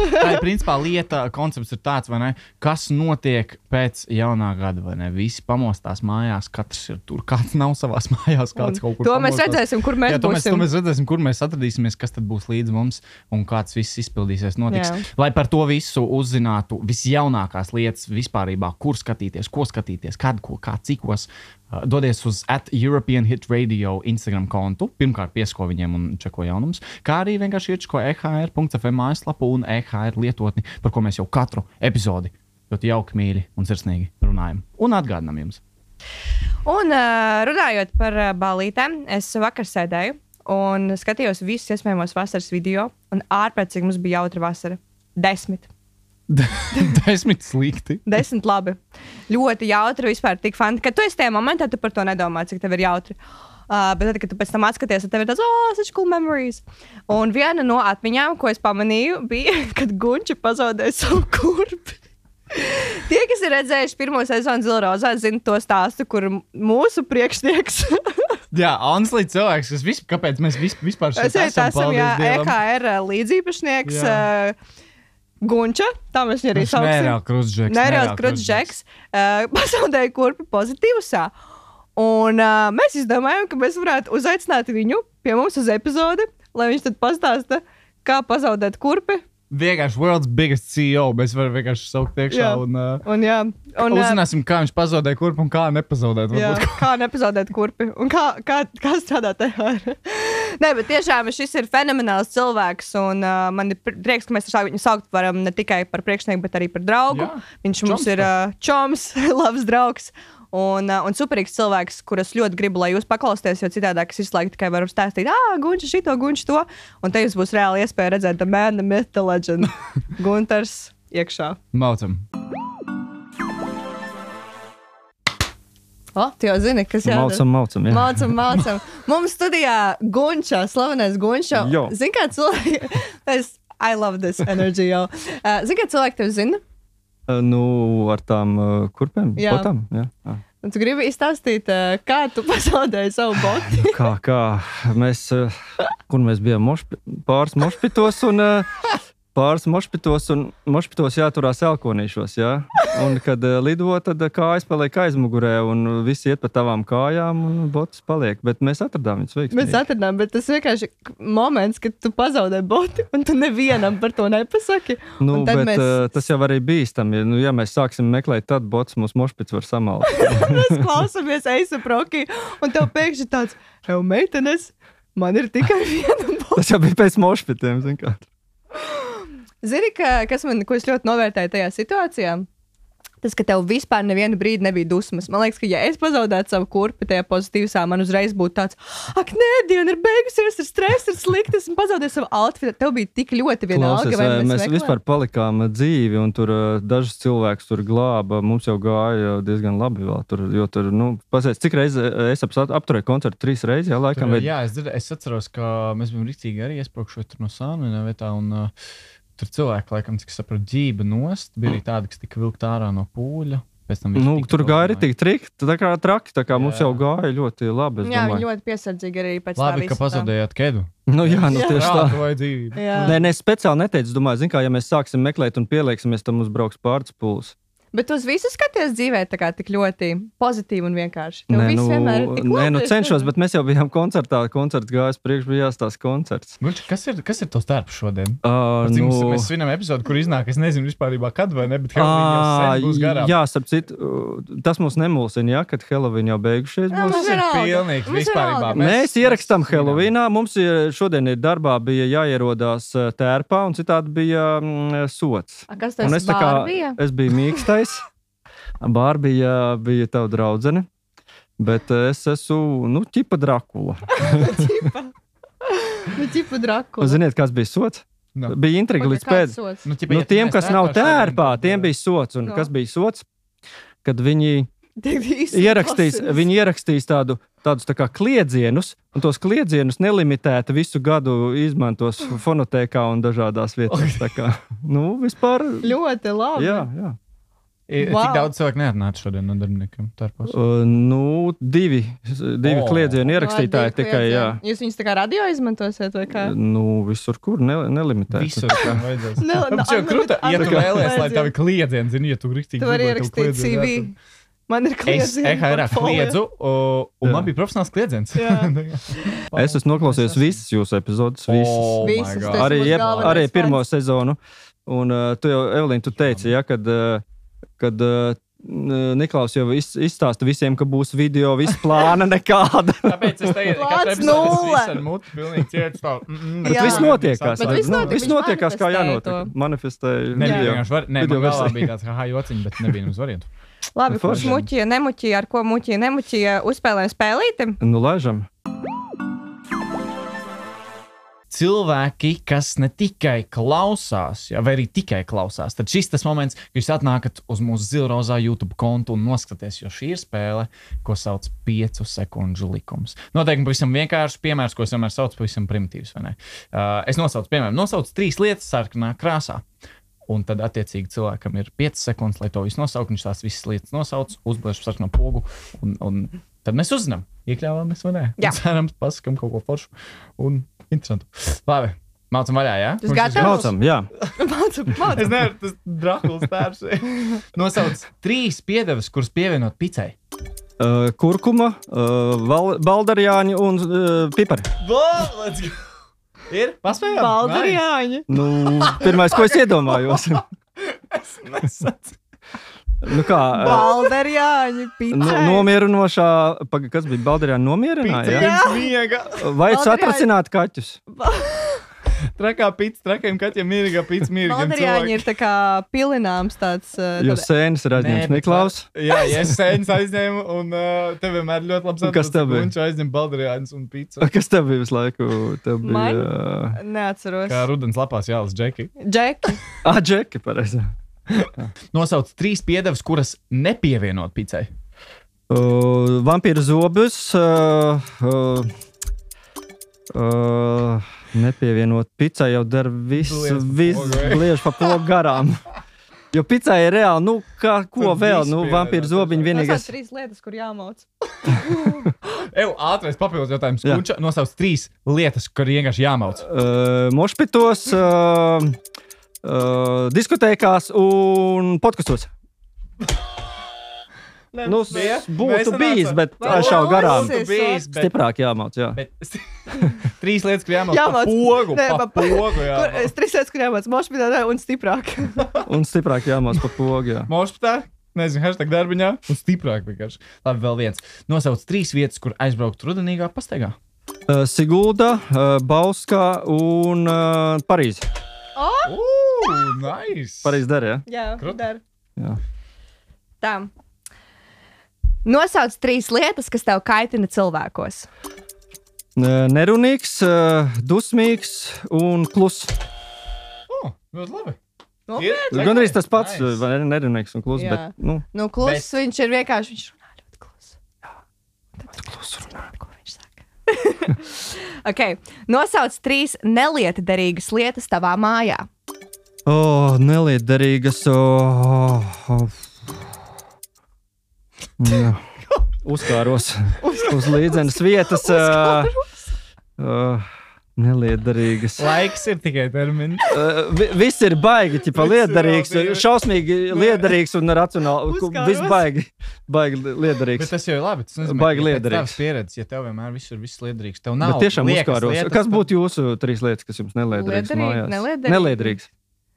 tā ir principā lieta, koncepts ir tāds, vai ne? Kas notiek pēc jaunā gada, vai ne? Visi pamostās mājās, katrs ir tur, kāds nav savās mājās, kāds kaut kur to pamostās. Mēs redzēsim, kur mēs Jā, to būsim. Mēs, to mēs redzēsim, kur mēs atradīsimies, kas tad būs līdz mums un kāds viss izpildīsies, notiks. Jā. Lai par to visu uzzinātu visjaunākās lietas vispārībā, kur skatīties, ko skatīties, kad, ko, kā, cikos, uh, dodies uz at European Hit Radio Instagram kontu, pirmkārt piesko viņiem un čeko jaunums, kā arī vienkārši iečko e h r punkt f m mājaslapu un e h r lietotni, par ko mēs jau katru epizodi ļoti jauki, mīļi un sirsnīgi runājam un atgādinām jums. Un uh, runājot par uh, balītēm, es vakar sēdēju un skatījos visus iespējamos vasaras video, un ārpēc, cik mums bija jautra vasara. Desmit. Desmit slikti. Desmit labi. Ļoti jautri, vispār tik fanti. Kad tu esi tajā momentā, tu par to nedomā, cik tev ir jautri. Uh, bet tad, kad tu pēc tam atskaties, tad tev ir tāds, oh, such cool memories. Un viena no atmiņām, ko es pamanīju, bija, kad Gunča pazaudēja savu kurpi. Tie, kas ir redzējuši pirmo sezonu Zila Rozā, zina to stāstu, kur mūsu priekšnieks. Jā, honestly, cilvēks, kas vispār, kāpēc mēs vispār šeit esam, esam, paldies jā, Dievam. E K R līdzīpašnieks uh, Gunča, tā mēs viņu arī sauksim. Nereāli krustžeks. Nereāls krustžeks. Uh, pazaudēja kurpi pozitīvusā. Un uh, mēs izdomājām, ka mēs varētu uzaicināt viņu pie mums uz epizodi, lai viņš tad pastāsta, kā pazaudēt kurpi. Vienkārši world's biggest C E O. Mēs varam vienkārši saukt iekšā Jā. un, uh, Un, jā, un uh, uzzināsim, kā viņš pazaudēja kurpi un kā nepazaudēt. jā, Varbūt. kā nepazaudēt kurpi un kā, kā, kā strādāt tajā. Nē, bet tiešām šis ir fenomenāls cilvēks, un uh, man ir prieks, ka mēs viņu saukt varam ne tikai par priekšnieku, bet arī par draugu. Jā. Viņš mums Čoms, ir uh, čoms, labs draugs. Un, uh, un superīgs cilvēks, kurus ļoti gribu, lai jūs paklausties, jo citādi es visu laiku tikai varu stāstīt, ah, Gunča šito, Gunča to. Un te jums būs reāli iespēja redzēt the man, the myth, the legend. Gunters iekšā. Maucam. O, tu jau zini, kas jādara. Maucam, maucam, jā. Mācam, mācam. Mums studijā Gunča, slavenais Gunča. Jo. Zini, kā cilvēki... es, I love this energy, jau. Uh, Zini, kā cilvēki tev zina? Uh, nu, ar tām uh, kurpēm, Jā. botām, jā. jā. Un tu gribi izstāstīt, uh, kā tu pazaudēji savu boti? Kā, kā, mēs, uh, kur mēs bijām mošpi, pāris mošpitos un uh, pāris mošpitos un mošpitos jāturās elkonīšos, jā. Un, kad uh, lido, tad kājas paliek aizmugurē, un visi iet pa tavām kājām, un botus paliek. Bet mēs atradām viņus veiksmīgi. Mēs atradām, bet tas vienkārši moments, kad tu pazaudē boti, un tu nevienam par to nepasaki. Nu, bet mēs... uh, tas jau arī bīstami. Nu, ja mēs sāksim meklēt, tad botus mūsu mošpits var samalt. Mēs klausamies Eisa Proki, un tev pēkšņi tāds, ev meitenes, man ir tikai viena bota. Tas jau bija pēc mošpitiem, zin kā. Zini, ka, kas man, ko es ļoti novērtēju tajā situācijā? Tas, ka tev vispār nevienu brīdi nebija dusmas. Man liekas, ka ja es pazaudētu savu kurpi tajā pozitīvsā, man uzreiz būtu tāds, ak, nē, diena ir beigusies, ir stress, ir slikti, esmu pazaudējis savu outfitu. Tev bija tik ļoti vienalga, Klausies, vai mēs, mēs meklējam? vispār palikām dzīvi, un tur uh, dažus cilvēkus tur glāba. Mums jau gāja diezgan labi vēl. Tur, jo tur, nu, pasies, cik reizi es ap, apturēju koncertu? Trīs reizes, jā, laikam. Tur, Vai... jā, es, dzird, es atceros, ka mēs bijām rīcīgi arī iesprūkšot tur no Sānvienā vietā, un uh, tur cilvēki, laikam, cik sapratu, ģība nost. Bija arī tādi, kas tika vilkt ārā no pūļa. Nu, tur gāja arī tik triki, tā kā traki, tā kā jā. Mums jau gāja ļoti labi. Jā, viņi ļoti piesardzīgi arī pēc labi, tā ka pazaudējāt kedu. Nu jā, nu Jā. tieši tā. Vai dzīvību. Jā. Nē, nē, speciāli neteicu, domāju, zin kā, ja mēs sāksim meklēt un pielieksimies, tad mums brauks pārts pūles. Bet tu uz visu skaties dzīvē tā kā tik ļoti pozitīvi un vienkārši. Tev Nē, viss nu, vienmēr ir tik nē, nu labi. cenšos, bet mēs jau bijām koncertā, koncerts gājas priekš, bija jāstās koncerts. Guļ, kas ir, kas ir tos darbs šodien? Uh, Cik nu, mums, mēs svinam epizodu, kur iznāk, es nezinu vispārībā kad vai ne, bet Halloween jau sen būs garām. jā, starp citu, uh, tas mums nemulsina, jā, kad Halloween jau beigušies Jā, būs. mums Tas ir vienalga. pilnīgs Mums vispārībā. vienalga. Mēs ierakstām mēs Halloweenā, mums ir, šodien ir darbā bija jāierodās uh, tērpā, un citādi bija mm, sots. A, kas Un tas es tā kā, bija? es biju mīkstais, Bārbija bija tava draudzene, bet es esmu, nu, ķipa Drakula. Nu, ķipa Drakula. Ziniet, kas bija sots? Nu. Bija intriga līdz pēd. Nu, ķipa, Nu, ja tu tiem, neesi kas nav tērpā tērpā, šodien, tiem tad, bija sots. Un No. kas bija sots? Kad viņi ierakstīs, viņi ierakstīs tādu, tādus tā kā kliedzienus, un tos kliedzienus nelimitēti visu gadu izmantos fonotēkā un dažādās vietās. Tā kā, nu, vispār. Ļoti labi. Jā, jā. I- Wow. Cik daudz cilvēku neatnāca šodien no darbiniekiem tērpos? Uh, nu, divi, divi O. kliedzienu ierakstītāji Labi, tikai, jā. Jūs viņus tā kā radio izmantosiet vai kā? Nu, visur, kur ne, nelimitēti. Visur, kam vajadzēs. Ne, Mums jau ne, krūta, ja tu unlimited vēlies, lai vajadzēja. tavi kliedzien, zini, ja tu rīktīgi Tu vari gribi, lai tev ierakstīt C kliedzieni V. jāatrod. Man ir Es kliedzieni. E H R portfolio. kliedzu, o, un Jā. man bija profesionāls kliedziens. Jā. Es esmu noklausījies visas jūsu epizodes, visas. Oh my Visas, God. tas arī, mūsu jeb, galvenais arī fans. pirmo sezonu. Un uh, tu jau, Evelīna, tu teici, ja, kad, uh, kad uh, Niklaus jau iz, izstāsta visiem, ka būs video, viss plāna nekāda. Tāpēc es teicu, ka Plāns tas nulle. viss ar mutu pilnīgi ciet stāv. Mm, mm, Bet Jā. viss notiekās. Bet vai- viss nu, notiek, viss viņš notiekās, kā manifestēja jānotiek. to. Manifestēja Nebija video. vienkārši var, ne, video man galvā versija. bija tāds, ha, jociņi, bet nebija mums variantu. Labi, kurš Forši. muķīja, nemuķīja, ar ko muķīja, nemuķīja, uzspēlējam spēlīti? Nu, laižam. Cilvēki, kas ne tikai klausās, ja, vai arī tikai klausās, tad šis tas moments, kad jūs atnākat uz mūsu Zilrozā YouTube kontu un noskaties, jo šī ir spēle, ko sauc piecu sekundžu likums. Noteikti pavisam vienkārši piemērs, ko es vienmēr saucu pavisam primitīvs, vai ne? Uh, es nosaucu, piemēram, nosaucu trīs lietas sarkanā krāsā. Un tad, attiecīgi, cilvēkam ir piecas sekundes, lai to visu nosaukt. Viņš tās visas lietas nosauc, uzblēž sarkano pogu, un, un tad mēs uzzinām, iekļāvāmies vai nē. Jā. Un cerams, pasakam kaut ko foršu un interesantu. Labi, mācam vaļā, jā? Tas Mums gatavs? ir- Mācam, jā. Mācu, Es mācu. nevaru, tas Drakulas tērs. Nosauc trīs piedevas, kuras pievienot picai. Uh, kurkuma, uh, val, baldarjāņi un uh, pipari. Let's go! Ir? Paspējām? Baldarjāņi. Nu, pirmais, ko es iedomājos. Nice. Nu kā, uh, Baldarjāņi, nu, picai. nomierinošā, paga, kas bija baldarjāņi nomierināja, Pica jā? pirms miega. Vai Baldarjāņi. satracināt kaķus? Trakā pica, trakiem kaķiem mierīgā pica mierīgiem Baldarjāņi ir tā kā pilināms tāds. uh, Jo tāda- sēnes ir aizņemts Niklaus. Jā, ja es sēnes aizņēmu, un uh, tev vienmēr ļoti labs Un kas tev bija? Viņš aizņem baldarjāņus un pīcu. Kas tev bija visu laiku? Tev bija... Man? Uh, Neatceros. Kā rudens lapās jālas džeki. Džeki. ah, Džeki, pareizi. Nosauc trīs piedevas, kuras nepievienot picai. Uh, vampīra zobus. Uh, uh, uh, nepievienot picai jau dara visu, Bliež pa visu pogu, vai? bliež pa pogu garām. Jo picai ir reāli, nu, kā, ko Tur vēl? viss Nu, pievienot, vampīra zobiņi Tas vienīgais. trīs lietas, kur jāmauc. Eju, ātrais papildus jautājums. Jā. Kunča nosauc trīs lietas, kur vienkārši jāmauc. Uh, mošpitos, uh, uh, diskotēkās un podkastos. Nu, Bija? būtu Mēs bijis, sanācām. bet Vai šau garām. būs? bijis, bet, Stiprāk jāmauc, jā. bet trīs lietas, kur jāmauc pa Jāmauc. pogu, Nē, pa pa- pogu, Kur, jā. es trīs lietas, kur jāmāc mošpitā un stiprāk. Un stiprāk jāmauc pa pogu, jā. Mošpitā, nezinu, hashtag darbiņā, un stiprāk vienkārši. Labi, vēl viens. Nosauc trīs vietas, kur aizbraukt rudenīgā pastaigā. Uh, Sigulda, uh, Bauskā un uh, Parīze. Ooh, nice! Parīze der, jā? Jā, Krut. dar. Jā. Tā. Nosauc trīs lietas, kas tev kaitina cilvēkos. Uh, Nerunīgs, uh, dusmīgs un kluss. Oh, ļoti labi. Nopietni? Gan arī tas pats, Nice. vai ne, nerunīgs un kluss, Jā. bet, nu, Nu, kluss, Bet- viņš ir vienkārši, viņš runā ļoti klusi. kluss runā. Ko viņš saka? Ok, nosauc trīs nelietderīgas lietas tavā mājā. O, oh, nelietderīgas. Oh, oh. Jā. Uzkāros uz līdzenas vietas. Uh, uh, nelietderīgas. Laiks ir tikai termins. Uh, vi, viss ir baigi, ķipa Viss ir lietderīgs, vēl divi. šausmīgi lietderīgs un racionāli. Uzkāros. Viss baigi, baigi Bet lietderīgs. tas jau ir labi. Tas nozīmē, Baigi ka pēc liederīgs. tavas pieredzes, ja tev vienmēr viss ir viss liederīgs, tev nav Bet tiešām liekas uzkāros. lietas, Kas tad- būtu jūsu trīs lietas, kas jums nelietderīgs Liederīgi, mājās? neliederīgi. Neliederīgs.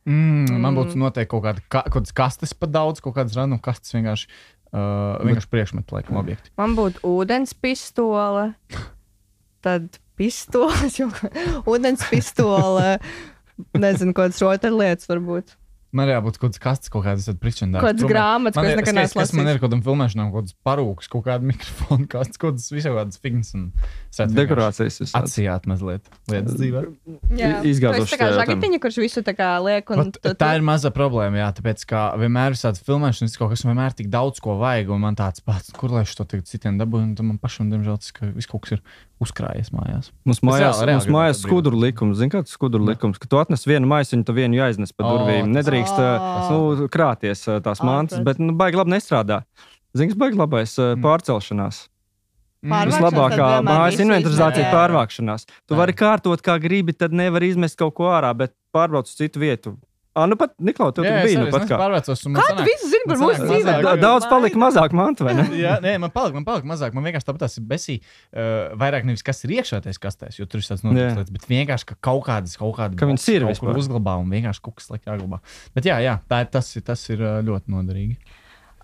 Mm, man būtu noteikti kaut kāda ka, kaut kādas kastes pa daudz, kaut kādas random kastes vienkārši, uh, vienkārši priekšmetu, laikam, objekti. Man būtu ūdens pistole, tad pistoles, jo ūdens pistole, nezinu, kādas rotaļlietas varbūt. Man jābūt kaut kādas kastes, kaut kādas priekšmetu. Kādas grāmatas, ko es nekad neesmu lasījis. Man lasījis. ir kaut kādam filmēšanām, kaut kādas parūkas, kaut kāda mikrofona kastes, kaut kādas visādas figņas un sēt vienkārši Dekorācijas. visādas. atsijāt mazliet lietas dzīvē. Jā, I- izgāzuši Tu esi tā kā tajā žagitiņa, kurš visu tā kā liek. Un Vat, tā ir maza problēma, jā, tāpēc, ka vienmēr ir tāda filmēšana, kaut kas vienmēr tik daudz ko vajag, un man tāds pats, kur lai es to tagad citiem dabūju, un tad man pašam, diemžēl, tas, ka viss kaut kas ir uzkrājies mājās. Mums mājās, reāli- reāli mums mājās gribētu skuduru likums. Zini, kāds ir skuduru likums? Ka tu atnes vienu maisiņu, tu vienu jāiznes pa O, durvīm. tas- Nedrīkst Ā. uh, nu, krāties uh, tās Ā, mantas, protams. bet nu, baigi labi nestrādā. Zini, kas baigi labais uh, Mm. pārcelšanās. Pārvākšanās Vislabākā tad vienmēr mājas visu inventarizācija ir izmērē. pārvākšanās. Tu Jā. vari kārtot, kā gribi, tad nevar izmest kaut ko ārā, bet pārbrauc uz citu vietu. Ah, nu pat, Niklau, tev Jā, tur es bija arī nu pat kā. pārvācos. un man Kā tu sanāk- visu zini par man mūsu sanāk dzīvēm? mazāk. Da- Daudz palika mazāk mantu, vai ne? Jā, nē, man palika, man palika mazāk. Man vienkārši tāpat tas ir besī. Uh, vairāk nevis kas ir iekšā tajās kastēs, jo tur ir tāds noticis Jā. lietas, bet vienkārši ka kaut kādas, kaut kāda Ka viņas boksi ir kaut kur vispār. uzglabā un vienkārši kaut kas liek jāglabā. Bet jā, jā, tā ir, tas, ir, tas ir uh, ļoti noderīgi.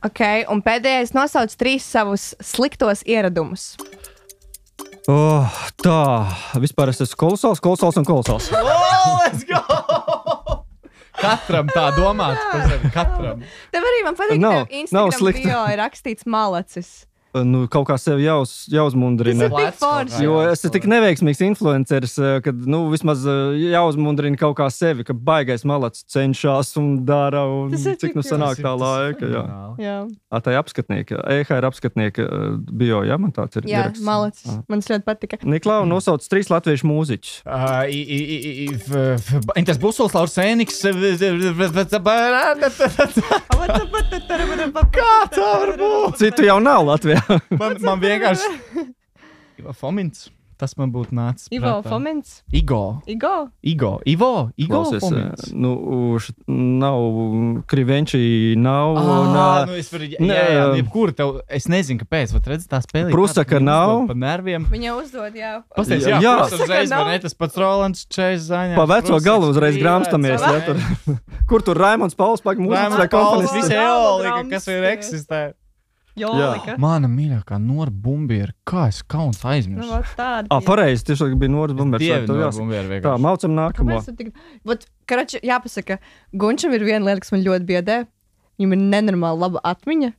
Ok, un pēdējais nosauc trīs savus sliktos ieradumus. Oh, tā, vispār es esmu kolosāls, kolosāls un kolosāls. Oh, let's go! Katram tā domāt, tas ir katram. Tev arī man patīk, Nav- ka tev nav Instagram slikti. bio ir rakstīts malacis. Nu, kaut kā sev jāuz, jāuzmundrina. Tas ir tik forši. Jo es esmu tik neveiksmīgs influenceris, eh, ka nu, vismaz eh, jāuzmundrina kaut kā sevi, ka baigais malacis cenšas un dara. Un Tas ir cik tik nu sanāk jauki. tā laika. Jā, Jā, à, tā ir apskatnieka. E H ir apskatnieka eh, bio, jā, man tāds ir. jā ieraksts. malacis. Ah. Man tas ļoti patika. Niklau nosauc trīs latviešu mūziķus. Uh, i, i, i, i, f- f- Intas Busols, Lauris Sēniks. Kā tā var būt? Citu jau nav Latvijā. Man, man vienkārši. Ivo Fomins. Tas man būtu nācis. Ivo prātā. Fomins. Igo. Igo. Igo. Ivo. Igo. Klausies, Fomins. eh, nu, š- nav Krivenčī, nav. un, Ah, eh, nu es varu. Jā, nē, jā, um, jebkura tev. Es nezinu, kāpēc. Vat redz, tā spēlē. Prusaka nav. Pa nerviem. Viņa uzdod, jā. Pastāstiet, Jā, jā, jā. jā. Tas uzreiz Nav. man ne tas pats Rolands Čejs zaņā. Pa veco galu uzreiz grāmstamies. Ja, tur. Kur tur Raimons Pauls pagaid mūzikas vai Komponists. komponists? Visi eolika, kas ir Grāmatas. eksistē. Jolika. Mana mīļākā Nora Bumbiera. Kā es kauns Nu, aizmirsu. vot tāda. Ah, pareizi, tieši bija Noras Bumbers. Dievi Tev Nora jāsaka. Bumbiera Tā, vienkārši. maucam nākamo. Kāpēc tu tik... Vat, karači, jāpasaka, Gunčam ir viena lieta, kas man ļoti biedē. Viņam ir nenormāli laba atmiņa.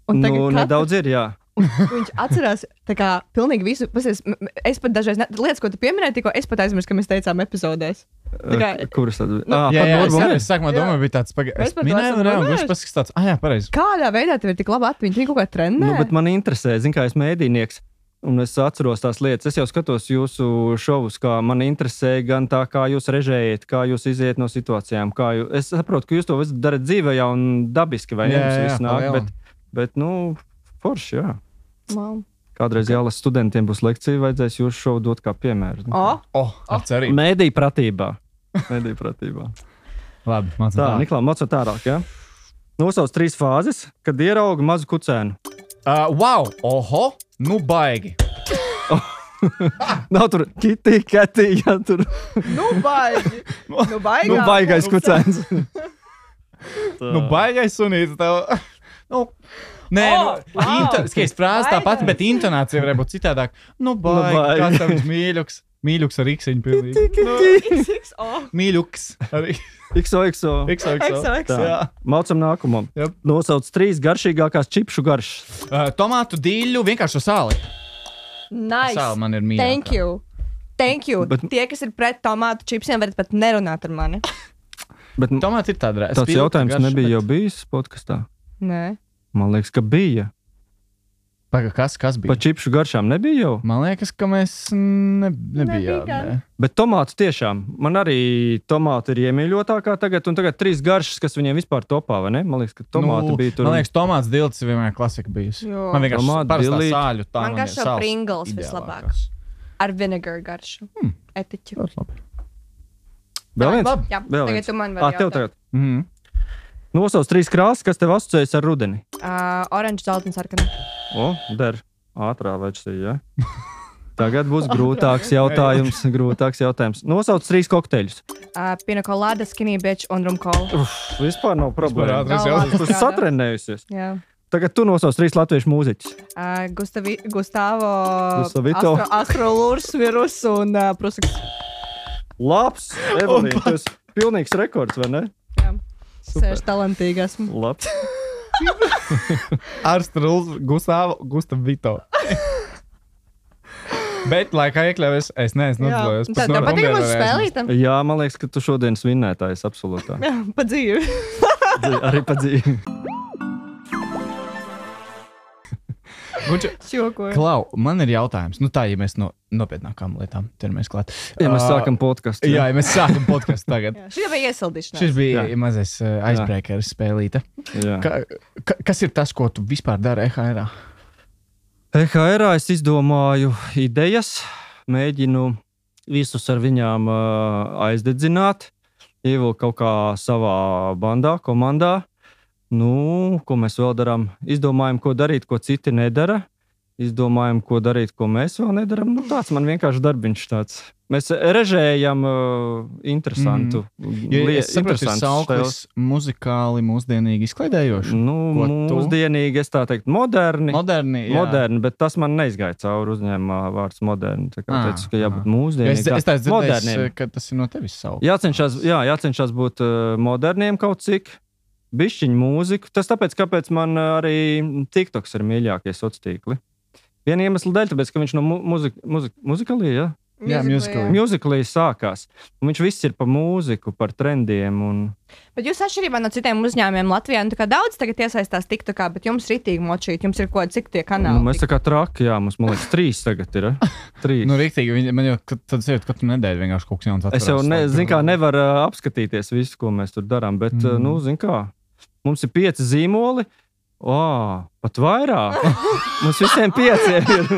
Un Nu, tagad katru- nedaudz ir, jā. Viņš atcerās tā kā pilnīgi visu. Pasies, m- m- es pat dažreiz, ne, lietas, ko tu pieminēji, tikko es pat aizmirsu, ka mēs teicām epizodēs. Tā kā- Eh, Kuras tad bija? Nu, Ah, Jā, pat jā, Nora es, Bumbers. arī, es sākumā Jā. domāju, bija tāds pagaidām. Mēs Es par to minēju, esam un reāli runājuši. viņš paskatās tāds, ah, jā, pareizi. Kādā veidā tev ir tik laba atmiņa? Viņa kaut kā trenē. Nu, bet man interesē, zin, kā es mēdīnieks. Un es atceros tās lietas. Es jau skatos jūsu šovus, kā man interesē gan tā, kā jūs režējat, kā jūs iziet no situācijām. Kā jūs, es saprotu, ka jūs to visu darat dzīvē jau un dabiski, vai ne? Jā, Jums jā, viss pa nāk, lielam. bet, bet, nu, forši, jā. Wow. Kādreiz jālasa studentiem būs lekcija, vajadzēs jūsu šovu dot kā piemēru. O, Oh, ar cerību. Mēdī pratībā. Mēdī pratībā. Labi, mācām Tā, tā. Niklā, mocot tālāk, jā? Nosauc trīs fāzes, kad ierauga mazu kucēnu. Uh, wow! Oho! Nu baigi! Nav tur kitī, ketī, ja tur... Nu, baigi. Nu, baigā. Nu, baigais kucēns. Nu baigais sunīts tev. Nu, nē, Oh, nu, wow. inter... skaist frāze tā pati, bet Baigais. intonācija varētu būt citādāk. Nu baigi, Nu, baigi. kā tavs mīļuks. Mīļuks ar ikseņu pilnīgi. Nu, X X O. mīļuks arī. X O X O. X O X O. X O X O. Jā. Maucam nākamam. Jep. Nosauc trīs garšīgākās čipšu garšas. Uh, tomātu dīļu vienkārši ar sāli. Nice. Sāli man ir mīļākā. Thank you. Thank you. Bet- Tie, kas ir pret tomātu čipsiem, varat pat nerunāt ar mani. Bet Tomāti ir tāda tāds jautājums nebija jau bijis podkastā. Nē. Man liekas, ka bija. Paga, kas, kas bija? Pa čipšu garšām nebija jau. Man liekas, ka mēs ne, nebijām. Nebija. Ne. Bet tomātu tiešām. Man arī tomāti ir iemīļotākā tagad, un tagad trīs garšas, kas viņiem vispār topā, vai ne? Man liekas, ka tomāti Nu, bija tur. Man liekas, tomāts dilts ir vienmēr klasika bijusi. Jo. Man vienkārši Tomātu parastā dilīti. sāļu tā. Man garšo ir sāls Pringles ideālākās. vislabāk. Ar vinegar garšu. Hmm. Etiķu. Ļoti labi. Vēl viens? Labi. Jā, Vēl tagad viens. tu man Ā, vari tev jautāt. tagad. Mhm. Nosauc trīs krāsas, kas tev asociējas ar rudeni. Uh, oranžs, zeltains, sarkana. O, der. Ātrā versija, ja? Tagad būs grūtāks jautājums. grūtāks jautājums. Nosauc trīs kokteļus. Uh, Pina colada, skinny bitch un rumkola. Uf, vispār nav problēma. ātrais Nav jautājums. labi Tu esi strādā. satrenējusies. Jā. Tagad tu nosauc trīs latviešu mūziķus. Uh, Gustavi, Gustavo, Gustavito. Astro, Astrolūrs, Virus un uh, Prusaks. Labs, Evelīna, tu esi pilnīgs rekords, vai ne? Jā. Sēž talantīgi esmu. Labs. Arstruls, Gustavo, Gustav Vito. Bet, laikā iekļāvies, es neesmu Jā. atzīvējis. Tad tev patīk mums spēlīt? Jā, man liekas, ka tu šodien svinētājs absolūtā. Jā, pa dzīvi. Dzīvi- Arī pa dzīvi. Šokoju. Klau, man ir jautājums. Nu tā, ja mēs no nopietnākām lietām ķeramies klāt. Ja mēs Ā, sākam podkastu. Jā, ja mēs sākam podkastu tagad. Jā, šī bija iesildīšanās. Šis bija Jā. mazais uh, icebreakers spēlīte. Jā. Ka, ka, kas ir tas, ko tu vispār dari E H R? E H R es izdomāju idejas, mēģinu visus ar viņām uh, aizdedzināt, ievilkt kaut kā savā bandā, komandā. Nu, ko mēs vēl darām? Izdomājam, ko darīt, ko citi nedara. Izdomājam, ko darīt, ko mēs vēl nedaram. Nu, tāds man vienkārši darbiņš tāds. Mēs režējam uh, interesantu Jo lie- es saprotu, ir interesantus sauklis muzikāli, mūsdienīgi izklaidējoši. Nu, Ko tu? mūsdienīgi, es tā teiktu, moderni. Moderni, jā. Moderni, bet tas man neizgāja cauri uzņēmumā vārds moderni. Tā kā Ah, teicu, ka jābūt ah. mūsdienīgam. Es, es tādu dzirdēju, moderniem. ka tas ir no tevis sauklis. Jācenšas, jā, jācenšas būt uh, moderniem kaut cik, bišķiņu mūziku. Tas tāpēc, kāpēc man uh, arī TikToks ir mīļākie sociālie tīkli. Viena iemesla dēļ, tāpēc, ka viņš no mu muzik muzik muzikalī, jā? Jā, musically. Mūzikalī sākās. Un viņš viss ir pa mūziku, par trendiem. Un... Bet jūs atšķirībā no citiem uzņēmumiem Latvijā, nu tā kā daudz tagad iesaistās TikTokā, bet jums ritīgi močīt, jums ir ko, cik tie kanāli? Nu, mēs tā kā traki, jā, mums, man liekas, trīs tagad ir. eh? Trīs. Nu, rīktīgi, viņi- man jau ka- tad sēž katru nedēļu vienkārši kaut kas jauns atverās. Es jau ne, zin, kā, nevaru uh, apskatīties visu, ko mēs tur darām, bet, mm. uh, Mm. nu, zin, kā, mums ir pieci zīmoli. O, pat vairāk. Mums visiem pieciem ir.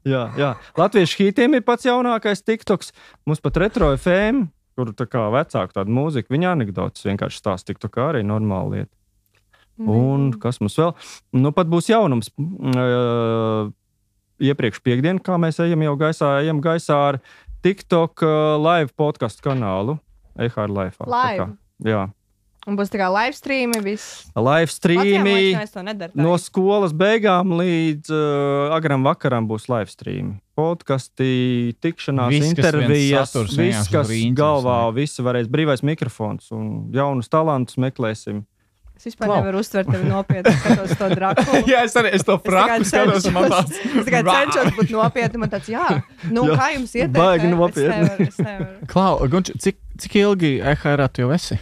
jā, jā. Latviešu hītiem ir pats jaunākais TikToks. Mums pat retro F M, kur tā kā vecāku tādu mūziku, viņa anekdotas vienkārši stāsta TikTokā arī normāla lieta. Un kas mums vēl? Nu, pat būs jaunums. Uh, iepriekš piekdien, kā mēs ejam jau gaisā, ejam gaisā ar TikTok uh, live podcastu kanālu. E H R Live. Live? Jā. Un būs tā kā live streami, viss. Live streami. Latvijā, to nedaru. No skolas beigām līdz uh, agram vakaram būs live stream. Podkasti, tikšanās, Viss, kas viens intervijas, saturs viss, vienkārši kas uz rīņķis, galvā, ne? visi varēs brīvais mikrofons un jaunus talantus meklēsim. Es vispār Klau. nevaru uztvert tevi nopietni, skatos to Drakulu. Jā, es arī es to fraku Es skatos, tikai un man tāds. cenšos- Es tikai cenšos būt nopietni, man tāds, jā, nu Jā, kā jums iet? baigi nopietni. Es nevaru. Klau, Gunč, cik, cik ilgi E H R tu jau esi?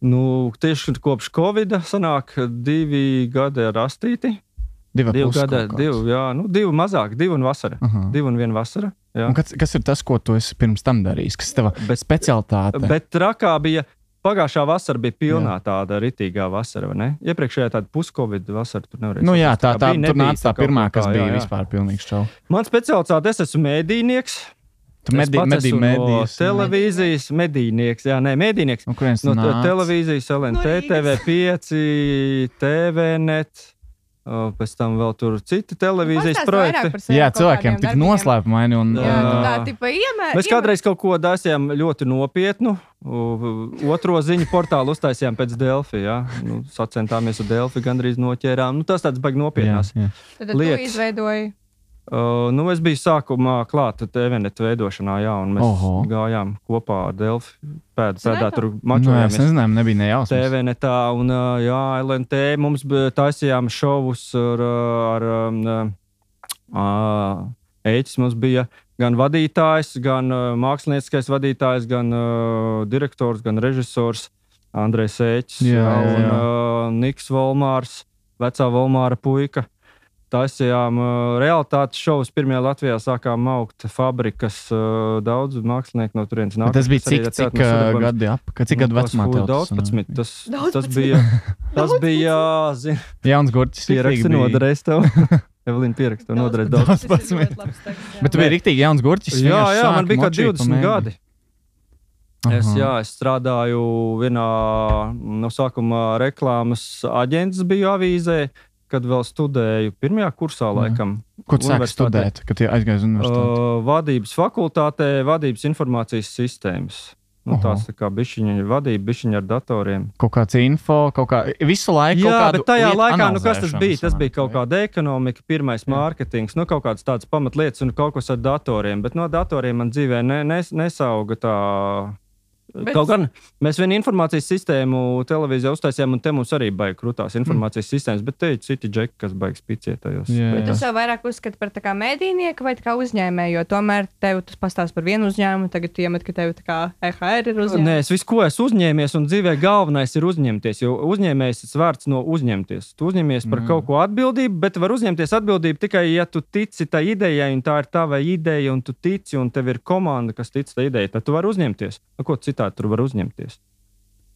Nu, tieši kopš Covid sanāk divi gadi ar astīti. Divi Divi pus gadi, kaut kāds. divi, jā, nu, divi mazāk, divi un vasara. Aha. Divi un viena vasara. Jā. Un kas, kas ir tas, ko tu esi pirms tam darījis? Kas ir tava Bet- specialitāte? Bet trakā bija, pagājušā vasara bija pilnā jā. tāda ritīgā vasara, vai ne? Iepriekšējā tāda puskovid vasara tur nevarēja. Nu jā, tā, tā, bija, tur nebija nāca tā kaut pirmā, kā, kas jā, bija jā. vispār pilnīgs čau. Man specialitāte, es esmu mēdīnieks. Tu medī, medī, no medijas. televīzijas, medīnieks, jā, nē, medīnieks. No kurienes No nāc? televīzijas, L N T, No T V pieci, T V net, pēc tam vēl tur citi televīzijas projekti. Jā, cilvēkiem tik noslēpumaini un... Jā, Jā. tā tipa iemē. Mēs kādreiz kaut ko dasījām ļoti nopietnu. Otro ziņu portālu uztaisījām pēc Delfi, jā. Nu, sacentāmies ar Delfi, gandrīz noķērām. Nu, tas tāds baigi nopietnās. Jā, jā. Tad tu lietas. izveidoji. Uh, nu, es biju sākumā klāta T V net veidošanā, jā, un mēs Oho. gājām kopā ar Delfi. Pēd, pēdā Zināju tur Nu, es mačojāmies. nezināju, nebija T nejausmas. V netā un uh, jā, L N T mums bija taisījām šovus ar, ar um, uh, Ēķis mums bija gan vadītājs, gan uh, mākslinieckais vadītājs, gan uh, direktors, gan režisors Andrejs Ēķis Jā, jā, un jā. uh, Niks Volmārs, vecā Volmāra puika. Taisījām uh, realitātes šovus. Pirmajā Latvijā sākām augt fabrikas. Uh, daudz mākslinieku no turienes nāk. Bet tas bija cik, cik uh, gadi apakaļ, cik gadu vecumā tev tas daudzpadsmit. Tas, tas Daudzpadsmit. bija, tas bija, zin, Jauns gurķis. pieraksti noderēs tev. Evelīna pieraksta noderēs daudz. Daudzpadsmit. Bet tu biji riktīgi jauns gurķis. Jā, vienkārši jā, sāki man bija kā močīt pa divdesmit mēģi. gadi. Es, Aha. jā, es strādāju vienā no sākuma reklāmas aģents biju avīzē, kad vēl studēju pirmajā kursā, laikam. Ko tu sāki universitātē. studēt, kad aizgāji uz universitāti? Uh, vadības fakultātē, vadības informācijas sistēmas. Nu, Oho. tās tā kā bišķiņa vadība, bišķiņa ar datoriem. Kaut kāds info, kaut kā visu laiku kaut Jā, kādu bet tajā lietu laikā, nu, kas tas analizēšanu bija? Tas bija sanāk, kaut vai? kāda ekonomika, pirmais mārketings, nu, kaut kādas tādas pamatlietas un kaut kas ar datoriem. Bet no datoriem man dzīvē ne, nes, nesauga tā. Bet- Kaut gan mēs vienu informācijas sistēmu televīzijā uztaisījām, un te mums arī baigi krūtās informācijas mm. sistēmas, bet te ir citi džeki, kas baigi spicietājos. Jā, Bet tu jā. sev vairāk uzskati par tā kā mēdīnieku vai tā kā uzņēmēju, jo tomēr tev tas pastāst par vienu uzņēmumu, tagad tu iemet, ka tev tā kā E H R ir Nē, uzņēmējs. es visu, ko esmu uzņēmies, un dzīvē galvenais ir uzņemties. Jo uzņēmējs ir vārds no uzņemties. Tu uzņemies par Mm. kaut ko atbildību, bet var uzņemties atbildību tikai, ja tu tici tai idejai, un tā ir tava ideja, un tu tici, un tev ir komanda, kas tic tai idejai. Tad tu vari uzņemties. Nu, ko citādi tur var uzņemties?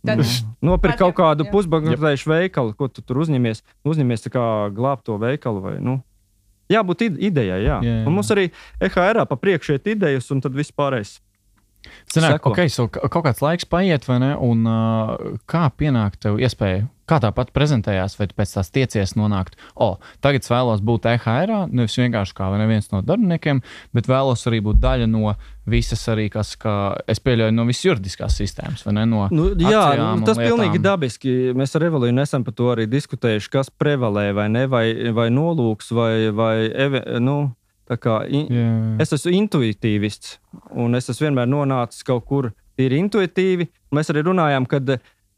Tad- Nopirkt kaut kādu Jā. pusbankrotējušu veikalu, ko tu tur uzņemies. Uzņemies tā kā glābt to veikalu vai, nu. Jābūt ide- idejai, jā. Jā, jā. Un mums arī E H R pa priekšu iet idejas, un tad viss pārējais. Sanāk, Seko. okay, so, ka- kaut kāds laiks paiet, vai ne? Un uh, kā pienāk tev iespēja, kā tā pat prezentējās, vai tu pēc tās tiecies nonākt, o, oh, tagad es vēlos būt E H R, nevis vienkārši kā vai neviens no darbiniekiem, bet vēlos arī būt daļa no visas arī, kas, kā es pieļauju, no visas juridiskās sistēmas, vai ne? No Nu, jā, akcijām nu, un tas ir lietām. pilnīgi dabiski. Mēs ar Evelīnu esam par to arī diskutējuši, kas prevalē vai ne, vai, vai nolūks, vai, vai eve, nu, tā kā. In, Jā. es esmu intuitīvists, un es esmu vienmēr nonācis kaut kur tīri intuitīvi. Mēs arī runājām, ka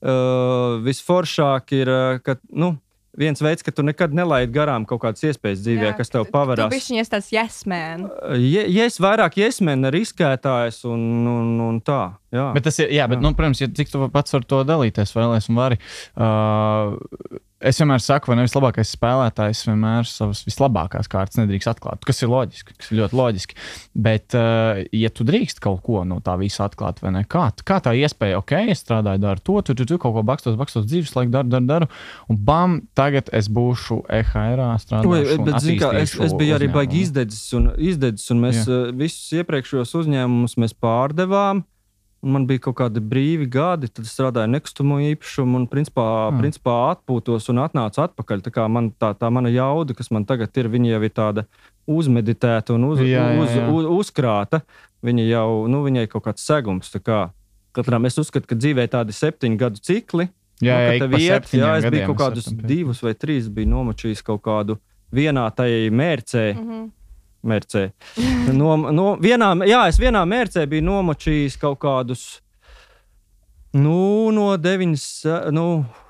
uh, visforšāk ir, uh, ka, nu, viens veids, ka tu nekad nelaidi garām kaut kādas iespējas dzīvē, kas tev paverās. Tu bišķiņ esi tāds yes man. Ja, ja es vairāk iesmēnu riskētājs un, un, un tā, jā. Bet tas ir, jā, bet, Jā. nu, protams, ja cik tu pats ar to dalīties, vēlēs un vari. Uh, es vienmēr saku, vai nevis labākais spēlētājs vienmēr savas vislabākās kārtas nedrīkst atklāt, kas ir loģiski, kas ir ļoti loģiski. Bet, uh, ja tu drīkst kaut ko no tā visa atklāt, vai ne, kā, kā tā iespēja, ok, es strādāju, daru to, tu, tu, tu kaut ko bakstos, bakstos dzīves laiku, daru, daru, daru, un bam, tagad es būšu E H R-ā, strādāšu Oi, un bet, zini kā, es, attīstīšu es biju arī uzņēmumu. baigi izdedzis, un, izdedzis, un mēs uh, visus iepriekšējos uzņēmumus mēs pārdevām. Un man bija kaut kādi brīvi gadi, tad es strādāju nekustamo īpašumu un principā, Mm. principā atpūtos un atnācu atpakaļ. Tā, kā man, tā, tā mana jauda, kas man tagad ir, viņa jau ir tāda uzmeditēta un uz, Jā, jā, uz, jā. uz, uzkrāta. Viņa jau, nu, viņai ir kaut kāds segums. Tā kā katram es uzskatu, ka dzīvē tādi septiņu gadu cikli. Jā, jā, nu, ka ik tev pa iet, jā, septiņiem es biju gadiem kaut kādus esam pie- divus vai trīs, biju nomočījis kaut kādu vienā tajā mērcē. Mhm. Mērcē. No, no vienā, jā, es vienā mērcē biju nomočījis kaut kādus, nu, no deviņas, nu,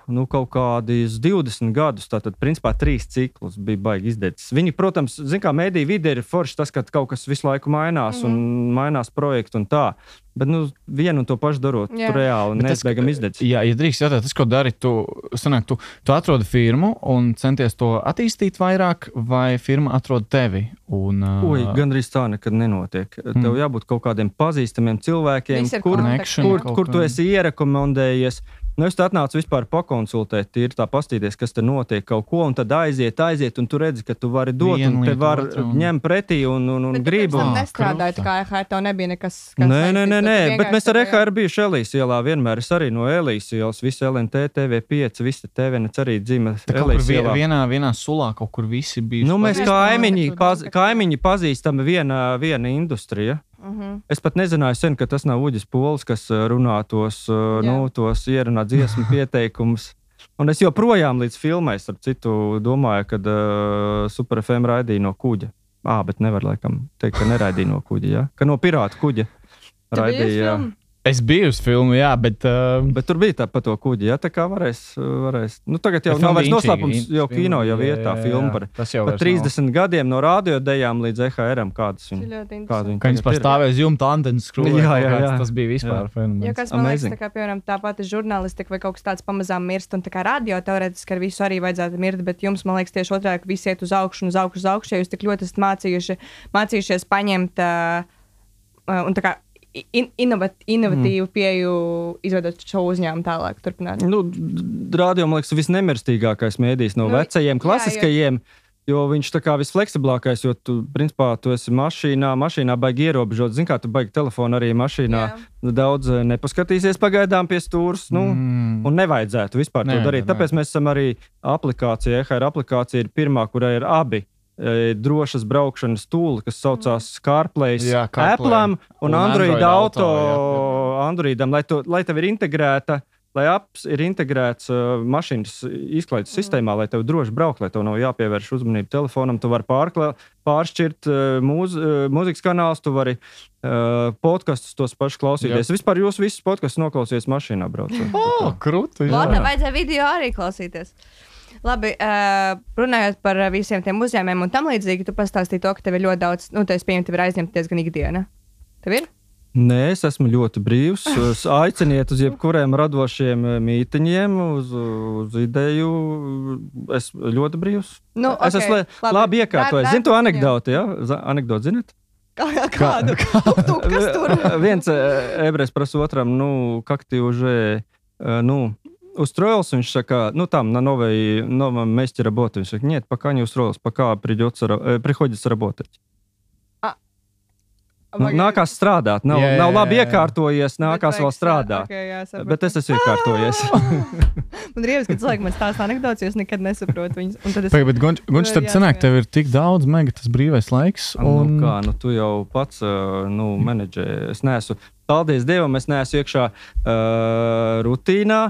nu kaut kādus divdesmit gadus. Tātad, principā, trīs ciklus bija baigi izdedzis. Viņi, protams, zin kā mēdīju vide ir forši tas, ka kaut kas visu laiku mainās Mhm. un mainās projektu un tā. Bet, nu, vienu un to pašu darot, Jā. tur reāli Bet tas, neizbēgam izdedzis. Jā, ja drīkst jautāt, tas, ko dari, tu, sanāk, tu, tu atrodi firmu un centies to attīstīt vairāk, vai firma atrod tevi? Un, uh, Ui, gandrīz tā nekad nenotiek. Tev jābūt kaut kādiem pazīstamiem cilvēkiem, Visi ir kur, kontakti, Connection kur, kaut kur tu kā. esi ierekomendējies. Nu, es atnācu vispār pakonsultēt, ir tā pastīties, kas te notiek kaut ko, un tad aiziet, aiziet, un tu redzi, ka tu vari dot, Vienu un te lietu, var otru, un- ņemt pretī, un, un, un Bet gribu. tu pirms tam Ah, nestrādāji, kruta. kā E H R, tev nebija nekas, kas Nē, nē, saistīts, nē, tu nē, vienkārši bet mēs ar E tev H R bijuši Elīs ielā vienmēr. Es arī no Elīs ielas, visi L N T, T V pieci, visi T V nec arī dzīve Tā kaut kur Elīs vie- ielā. vienā, vienā sulā kaut kur visi bija. Nu, mēs Mēs kaimiņi, domājam, ka paz, tu domā, ka- kaimiņi pazīstam viena, viena industrija. Mhm. Es pat nezināju sen, ka tas nav Uģis Pols, kas uh, runā tos, uh, Jā. nu, tos ierunā dziesmu pieteikumus. Un es joprojām līdz filmai, starp citu, domāju, ka uh, Super F M raidīja no kuģa. Ā, bet nevar laikam teikt, ka neraidīja no kuģa, ja? Ka no pirāta kuģa Tu biji uz raidīja. jā. filmu? Es biju uz filmu, jā, bet. Uh, Bet tur bija tā pa to kuģi, ja? Tā kā varēs, varēs. Nu, tagad jau bet nav filma vairs bija noslēpums, inčīga, jo filma, kino jau jā, ir tā jā, filma jā. par, Tas jau par vairs nav. trīsdesmit gadiem no radiodejām līdz E H R-am, kādas Tas ir viņa. ļoti Kāda interesanti. Ka viņas tagad ir. pastāvēs jumta antenas skrūvē. Jā, kaut jā, kāds, jā. Tas bija vispār Jo, fenomens. kas man liekas, Amazing. tā kā, piemēram, tā pati žurnālistika vai kaut kas tāds pamazām mirst, un tā kā radio teorētiski ar visu arī vajadzētu mirt, bet jums, man liekas, tieši otrādi, ka visi iet uz augšu un uz augšu, uz augšu, ja jūs tik ļoti esat mācījuši, mācījušies paņemt uh, uh, un tā kā in, inovat, inovatīvu mm. pieju, izveidot šo uzņēmumu tālāk, turpināt. Nu, d- radio, man liekas, visnemirstīgākais mēdījis no Nu, vecajiem, jā, klasiskajiem. Jo viņš tā kā visfleksiblākais, jo tu, principā, tu esi mašīnā, mašīnā baigi ierobežot. Zini, kā tu baigi telefonu arī mašīnā. Jā. Daudz eh, nepaskatīsies pagaidām pie stūres. Nu, Mm. Un nevajadzētu vispār to Nevajadzētu, darīt. Tāpēc mēs esam arī aplikācija. E H R aplikācija ir pirmā, kurai ir abi e, drošas braukšanas tūli, kas saucās CarPlay, Jā, CarPlay. Apple'am un, Un Android, Android auto, auto, jā, jā. Androidam, lai, to, lai tev ir integrēta. Lai apps ir integrēts uh, mašīnas izklaides mm. sistēmā, lai tev droši braukt, lai tev nav jāpievērš uzmanība telefonam, tu vari pārklā, pāršķirt uh, mūz, uh, mūzikas kanālus, tu vari uh, podkastus tos pašus klausīties. Jā. Vispār jūs visus podkastus noklausīsies mašīnā braucot. O, krūti. Lātā vajadzēja video arī klausīties. Labi, uh, runājot par visiem tiem uzņēmumiem un tam līdzīgi, tu pastāstīji to, ka tev ir ļoti daudz, nu, tu esi pieņemti, tev ir aizņemta diezgan ikdiena. Tev ir? Nē, es esmu ļoti brīvs. Es aiciniet uz jebkuriem radošiem mītiņiem, uz, uz ideju. Es esmu ļoti brīvs. Nu, Es okay, esmu labi, labi iekārtojis. Zini to anekdoti, jā? Ja? Anekdoti, zināt? Kā- Kādu? Tuk, tuk, kas tur? Viens eh, ebrejs prasa otram, ну, как ты уже, э, ну, устроился? Viņš saka, ну, там, на новой, новом месте работы. Viņš saka, нет, пока не устроился, пока придется, э, приходится работать. Nu, nākās strādāt. Nav, Jā, jā, nav labi jā, jā. iekārtojies, nākās vēl strādāt. Okay, jā, sapratu. Bet es esmu iekārtojies. Man ir ievis, ka cilvēki man stāsta anekdotas, jo es nekad nesaprotu viņas. Un tad es... Pagaid, bet Gunč, Gunč tad Jā, sanāk, jā. tev ir tik daudz mega tas brīvais laiks. Un... Un... Nu, kā, nu, tu jau pats uh, nu, menedžē. Es neesmu, paldies Dievam, es neesmu iekšā uh, rutīnā.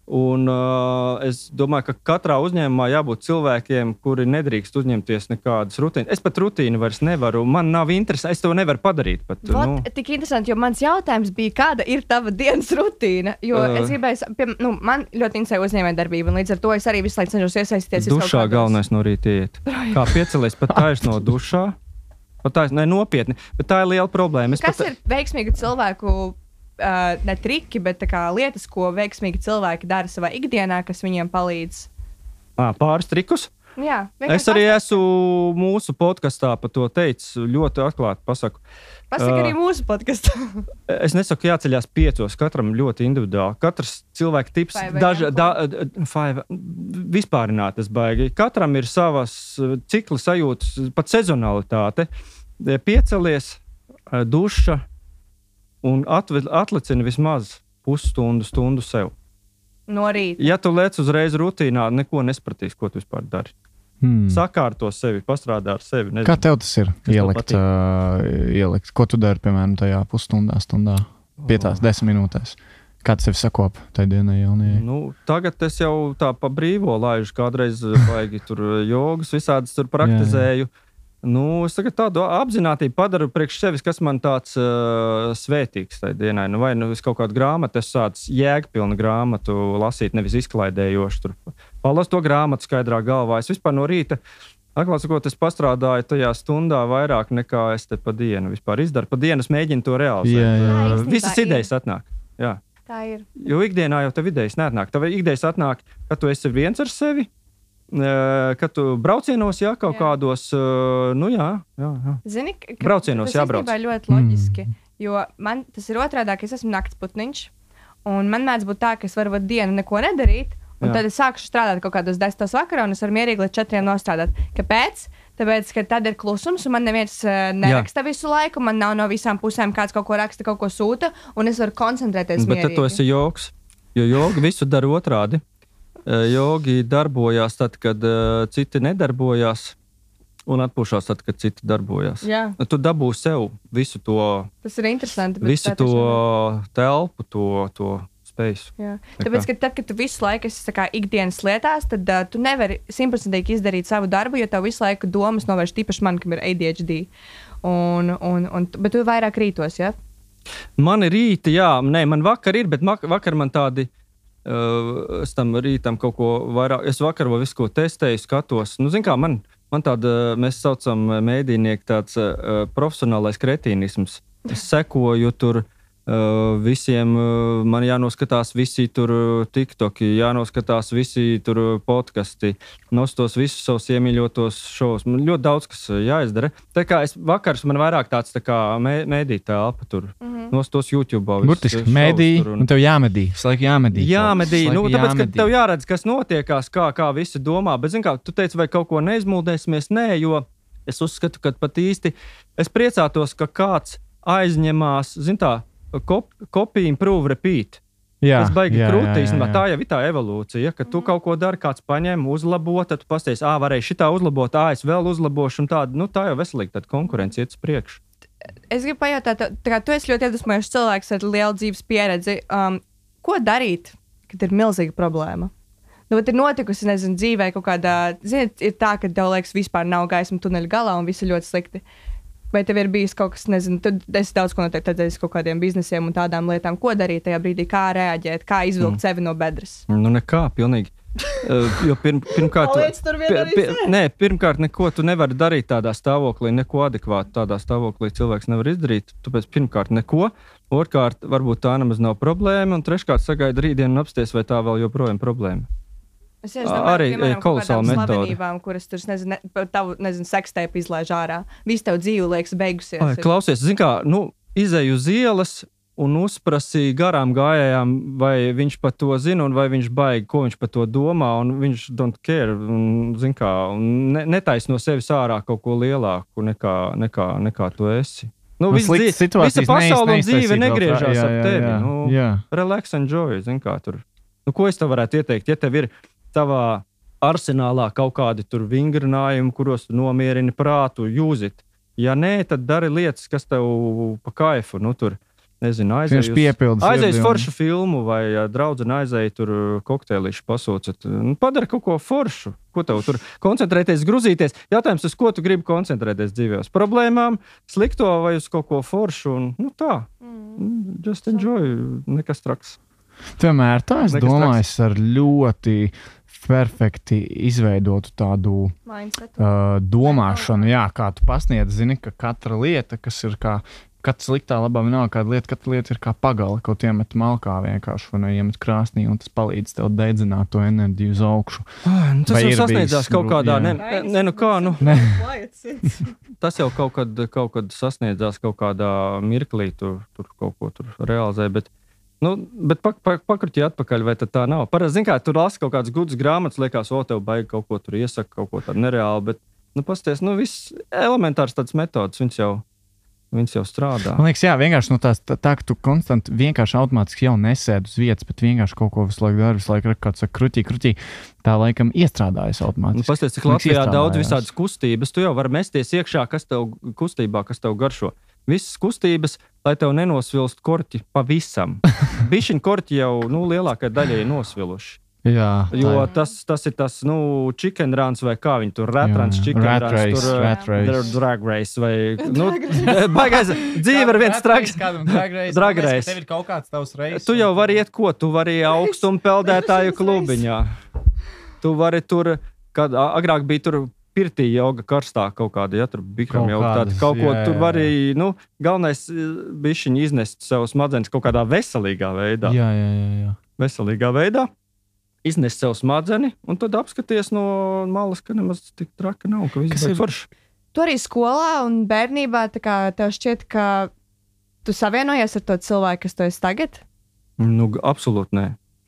Un, uh, es domāju, ka katrā uzņēmumā jābūt cilvēkiem, kuri nedrīkst uzņemties nekādas rutīnas. Es pat rutīnu vairs nevaru. Man nav interesi. Es to nevaru padarīt. Pat, Vat, nu. tik interesanti, jo mans jautājums bija, kāda ir tava dienas rutīna? Jo Uh. es gribēju, pie, nu, man ļoti interesē uzņēmējdarbība, un līdz ar to es arī visu laiku cenšos iesaistīties. vis kaut Dušā kādos- galvenais no rīta iet. Kā piecelies pat taisno dušā. Pat taisno, ne nopietni. Bet tā ir liela problēma. Es Kas pat... ir veiksmīgi cilvēku? Uh, ne triki, bet tā kā lietas, ko veiksmīgi cilvēki dara savā ikdienā, kas viņiem palīdz. À, pāris trikus. Jā, Es arī esmu mūsu podkastā par to teicis. Ļoti atklāti pasaku. Pasaka arī uh, mūsu podkastā. Es nesaku, jāceļās piecos. Katram ļoti individuāli. Katrs cilvēka tips, Five daži, a m da, five, vispārinātas baigi. Katram ir savas uh, cikla sajūtas, pat sezonalitāte. Piecelies, uh, duša un atve- atlicini vismaz pusstundu, stundu sev. No rīta. Ja tu lec uzreiz rutīnā, neko nespratīs, ko tu vispār dari. Hmm. Sakārto sevi, pastrādā ar sevi. Nezinu. Kā tev tas ir? tev Ielikt, patīk? uh, ielikt. Ko tu dari, piemēram, tajā pusstundā, stundā, piecās, desmit minūtēs? Kā tas tev sakop tajā dienā jaunajai? Nu, tagad es jau tā pa brīvo laižu, kādreiz baigi tur jogas, visādas tur praktizēju. Nu, es tagad tādu apzināti padaru priekš sevis, kas man tāds uh, svētīgs tajā dienā. Nu, vai nu es kaut kādu grāmatu, es sācu jēgpilnu grāmatu lasīt, nevis izklaidējošu. Tur palasu to grāmatu skaidrā galvā. Es vispār no rīta, atklāt sakot, es pastrādāju tajā stundā vairāk nekā es te pa dienu vispār izdaru. Pa dienu es mēģinu to realizēt. Jā, jā. Jā, Uh, īstenībā Visas ir. idejas atnāk. Jā. Tā ir. Jo ikdienā jau tev idejas neatnāk. Tev idejas atnāk, ka tu esi viens ar sevi. Kad tu braucienos, jā, kaut Jā. kādos, nu jā, jā, jā. Zini, ka Braucienos tas jābrauc. īstenībā ļoti loģiski, mm. jo man tas ir otrādāk, es esmu naktsputniņš, Un man mēdz būt tā, ka es varu vat dienu neko nedarīt, un Jā. Tad es sākšu strādāt kaut kādos desmitos vakarā, un es varu mierīgi līdz četriem nostrādāt. Kāpēc? Tāpēc, ka tad ir klusums, un man neviens uh, neraksta Jā. Visu laiku, man nav no visām pusēm kāds kaut ko raksta, kaut ko sūta, un es varu koncentrēties Bet mierīgi. Bet tad tu esi jogs, jo jogi visu dara otrādi. Jogi darbojās tad, kad uh, citi nedarbojās, un atpūšās tad, kad citi darbojās. Jā. Tu dabū sev visu to, Tas ir interesanti. visu to telpu, to, to spēju. Tāpēc, ka tad, kad tu visu laiku esi kā, ikdienas lietās, tad uh, tu nevari simtprocentīgi izdarīt savu darbu, jo tev visu laiku domas novērš tīpaši man, kam ir A D H D. Un, un, un, bet tu vairāk rītos, ja? Man ir rīti, jā. Nē, man vakar ir, bet vakar man tādi, uh, es tam rītam kaut ko vairāk, es vakar vēl visu ko testēju, skatos. Nu, zin kā, man, man tāda, mēs saucam mēdīnieki tāds uh, profesionālais kretīnisms. Es sekoju tur Uh, visiem uh, man jānoskatās visi tur TikToki, jānoskatās visi tur podkasti, nostos visus savus iemīļotos šovus. Man ļoti daudz, kas jāizdara. Tā kā es vakars man vairāk tāds tā kā mē, mēdī telpa tur, mm-hmm. nostos YouTube. Burtiski mēdī, un... un tev jāmedī, visu laiku jāmedī. Jāmedī, nu tāpēc, jāmedī. Ka tev jāredz, kas notiekās, kā, kā visi domā. Bet, zin kā, tu teici, vai kaut ko neizmuldēsimies? Nē, jo es uzskatu, ka pat īsti es priecātos, ka kāds aizņemās, zin tā, copy, improve, repeat. Jā, tas baigi krūti, īstenībā. Tā jau ir tā evolūcija, ka tu kaut ko dari, kāds paņem, uzlabo, tad tu pasties, ā, varēja šitā uzlabot, ā, es vēl uzlabošu, un tāda, nu, tā jau veselīgi, tad konkurence iet uz priekšu. Es gribu pajautāt, tā kā tu esi ļoti iedvesmojošs cilvēks ar lielu dzīves pieredzi, um, ko darīt, kad ir milzīga problēma? Nu, bet ir notikusi, nezinu, dzīvē kaut kādā, zini, ir tā, ka tev liekas vispār nav gaisma tuneļa galā un viss ir ļoti slikti. Vai tev ir bijis kaut kas, nezinu, tad es daudz ko noteikti teicu kaut kādiem biznesiem un tādām lietām, ko darīt tajā brīdī, kā reaģēt, kā izvilkt mm. sevi no bedres? Nu, nekā, pilnīgi. uh, jo pirm, pirmkārt, pie, pie, nē, pirmkārt, neko tu nevari darīt tādā stāvoklī, neko adekvātu tādā stāvoklī cilvēks nevar izdarīt. Tāpēc pirmkārt neko, otrkārt, varbūt tā nemaz nav problēma, un treškārt sagaida rītdienu un apsties, vai tā vēl joprojām problēma. Es domāju, arī piemēram, kolosāla metode. Kuras tur, nezinu, ne, tavu, nezinu, sekstēpu izlaiž ārā. Viss tev dzīve liekas beigusies. Ai, klausies, zin kā, nu, izēju uz ielas un uzprasīja garām gājējām, vai viņš par to zina un vai viņš baigi, ko viņš par to domā, un viņš don't care, un, zin kā, un ne, netais no sevis ārā kaut ko lielāku nekā, nekā, nekā tu esi. Nu, nu, dzīve, visa pasaule un dzīve negriežās jā, jā, ap tevi. Jā, nu, jā. Relax, enjoy, zin kā tur. Nu, ko es tev varētu ieteikt, ja tev ir tavā arsenālā kaut kādi tur vingrinājumi, kuros tu nomierini prātu, use it. Ja nē, tad dari lietas, kas tev pa kaifu, nu tur, nezinu, aizēj uz, aizēj uz foršu filmu vai ja, draudzene aizēj tur kokteilīšu pasūcot. Nu, padara kaut ko foršu. Ko tev tur koncentrēties, gruzīties? Jautājums, uz ko tu gribi koncentrēties dzīvē? Uz problēmām, slikto vai uz kaut ko foršu? Un, nu tā, mm. just enjoy, nekas traks. Tomēr tā, es nekas domāju, traks. Es ar ļoti perfekti izveidotu tādu uh, domāšanu, jā, kā tu pasniedz, zini, ka katra lieta, kas ir kā, katra sliktā labā vienalga kāda lieta, katra lieta ir kā pagala, kaut iemet malkā vienkārši, vai iemet krāsnī, un tas palīdz tev deidzināt to enerģiju uz augšu. Ah, nu, tas vai jau sasniedzās kaut kādā, ne, ne, nu kā, nu, ne. Tas jau kaut kad, kaut kad sasniedzās kaut kādā mirklī, tur, tur kaut ko tur realizē, bet Nu, bet pak, pak, pakruķi atpakaļ, vai tad tā nav? Parasti, zin kā, tur lasi kaut kādas gudas grāmatas, liekas, o, tev baigi kaut ko tur iesaka, kaut ko tādu nereāli, bet, nu, pasties, nu, viss elementārs tāds metodas, viņas jau, viņas jau strādā. Man liekas, jā, vienkārši no tās, tā, tā, ka tu konstanti vienkārši automātiski jau nesēd uz vietas, bet vienkārši kaut ko visu laiku dari, visu laiku, kāds saka, krutī, krutī, tā laikam iestrādājas automātiski. Nu, pasties, cik Latvijā daudz visādas kustības, tu jau vari mesties iekšā, kas tev kustībā, kas tev garšo. Visas kustības, lai tev nenosvilst korķi pavisam. Bišķiņ korķi jau, nu, lielākai daļai nosviluši. Jā. Jo tas, tas ir tas, nu, chicken runs vai kā viņi tur, rat runs, chicken rat runs, race, tur, rat race. drag race vai, nu, baigais, dzīve ar viens traks. Drag race. Drag race. Tev ir kaut kāds tavs reis. Tu jau vari iet ko, tu vari augstumu peldētāju klubiņā. Tu vari tur, kad agrāk bija tur, pirtī joga karstā kaut kāda, ja tur bikram joga tāda, kaut ko jā, jā, jā. Tur var arī, nu, galvenais bišķiņi iznest savu smadzenes kaut kādā veselīgā veidā. Jā, jā, jā, jā. Veselīgā veidā, iznest savu smadzeni, un tad apskaties no malas, ka nemaz tik traka nav, ka viss ir forši. Tu arī skolā un bērnībā, tā kā tev šķiet, ka tu savienojies ar to cilvēku, kas tu esi tagad? Nu, absolūti nē.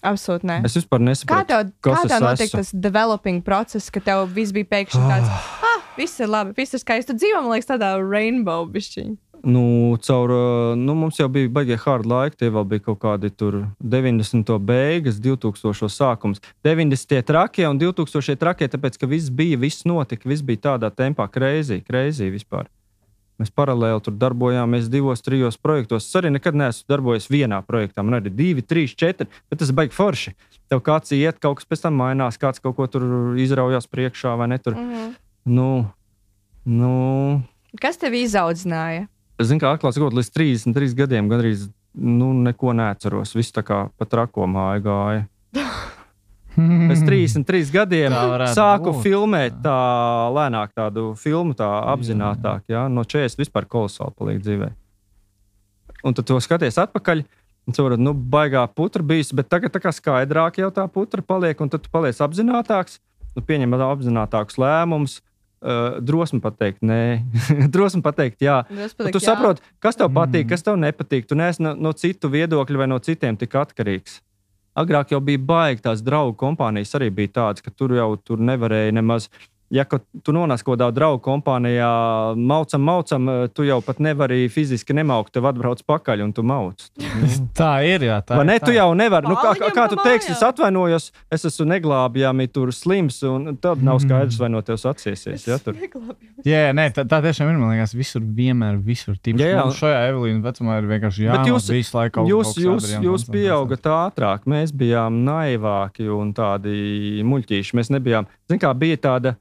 Absolūti nē. Es vispār nesaprotu, kā tev, kas kā tev es notika esmu. tas developing process, ka tev viss bija pēkšņi tāds, ah, viss ir labi, viss ir skaisti. Tu dzīvo, man liekas, tādā rainbow bišķiņ. Nu, caur, nu, mums jau bija baigie hard laiki, tie vēl bija kaut kādi tur deviņdesmito beigas, divtūkstošo sākums. deviņdesmitie trakie un divtūkstošie trakie, tāpēc, ka viss bija, viss notika, viss bija tādā tempā crazy, crazy vispār. Mēs paralēli tur darbojāmies divos, trijos projektos. Es arī nekad neesmu darbojies vienā projektā. Man arī divi, trīs, četri, bet tas baigi forši. Tev kāds iet, kaut kas pēc tam mainās, kāds kaut ko tur izraujās priekšā vai ne tur. Mm-hmm. Nu, nu... Kas tev izaudzināja? Es zinu, kā atklāts kaut līdz trīsdesmit trīs gadiem gandrīz, nu, neko neatceros. Viss tā kā pa trako māju gāja. Pēc trīsdesmit trīs gadiem sāku būt. filmēt tā lēnāk tādu filmu, tā apzinātāk, jā, no četrdesmit vispār kolosāli paliek dzīvē. Un tad to skaties atpakaļ, un tu vari, nu, baigā putra bijis, bet tagad tā kā skaidrāk jau tā putra paliek, un tad tu paliec apzinātāks, nu, pieņem apzinātākus lēmumus, uh, drosmi pateikt, nē, drosmi pateikt, jā. Pateikt, tu jā. Saproti, kas tev patīk, kas tev nepatīk, tu neesi no, no citu viedokļu vai no citiem tik atkarīgs. Agrāk jau bija baigi, tās draugu kompānijas arī bija tādas, ka tur jau tur nevarēja nemaz. Ja tu nonāc kaut kādā draugu kompānijā, maucam, maucam, tu jau pat nevari fiziski nemaukt, tev atbrauc pakaļ un tu mauc. Tā ir, jā. Tā vai ir, ne, tā. tu jau nevari. Nu, kā, kā tu teiksi, es atvainojos, es esmu neglābjami tur slims, un tad nav skaidrs, vai no tev atsiesies. Ja, tur. Jā, nē, tā, tā tiešām ir, man liekas, visur vienmēr, visur. Tīpaši, jā, jā. Šajā Evelīna vecumā ir vienkārši jāmāk jūs, visu laiku. Jūs, jūs, jūs pieaugat ātrāk, mēs bijām naivāki un tādi muļķīši. Mēs nebijām, zin kā, bija tāda,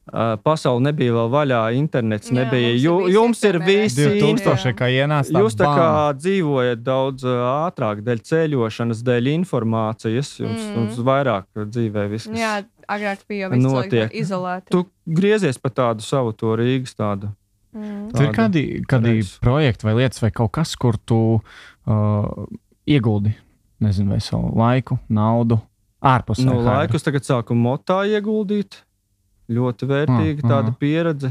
Uh, pasaule nebija vēl vaļā, internets jā, nebija. Jū, jums ir visi divtūkstošie, kā ienāc tā jūs tā bam. kā dzīvojat daudz uh, ātrāk, dēļ ceļošanas, dēļ informācijas, jums, mm. jums vairāk dzīvē viss. Jā, agrāk bija jau viss cilvēki izolēti. Tu griezies pa tādu savu to Rīgas tādu. Mm. Tur ir kādi, kādi projekti vai lietas vai kaut kas, kur tu uh, ieguldi, nezinu, vai savu laiku, naudu, ārpus. No laikus tagad sāku motā ieguldīt. Ļoti vērtīga mm, tāda mm. pieredze.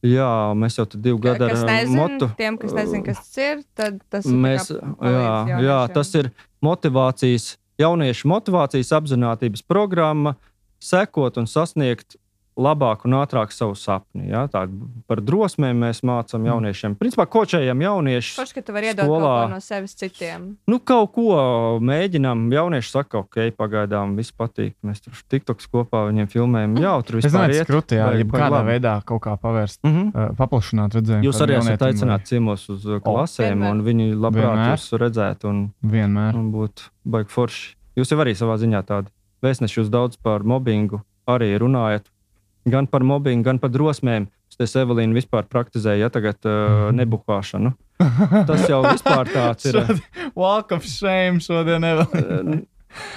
Jā, mēs jau tad divu gadu ar nezin, motu. Tiem, kas nezin, kas tas ir, tad tas mēs, ir jā, jā, tas ir motivācijas, jauniešu motivācijas apzinātības programma sekot un sasniegt labāk un ātrāk savu sapni. Ja? Tā, par drosmēm mēs mācām jauniešiem. Principā kočējam jauniešus. Forši, ka tu vari iedot kaut ko no sevis citiem. Nu, kaut ko mēģinām. Jaunieši saka, ok, pagaidām viss patīk. Mēs tur tiktoks kopā viņiem filmējam. Jā, tur vispār iet. Es skruti, jā, ja kādā veidā kaut kā pavērst, mm -hmm. uh, paplašināt redzējumu. Jūs arī esat aicināti ciemos uz klasēm, oh, un viņi labprāt jūs redzētu un, un būtu baigi forši. Jūs jau arī savā ziņā tādi vēstneši, jūs daudz par mobbingu arī runājat. Gan par mobbingu, gan par drosmēm. Es Evelīnu vispār praktizēju, ja tagad uh, nebuhāšanu. Tas jau vispār tāds ir. Walk of shame šodien, Evelīna.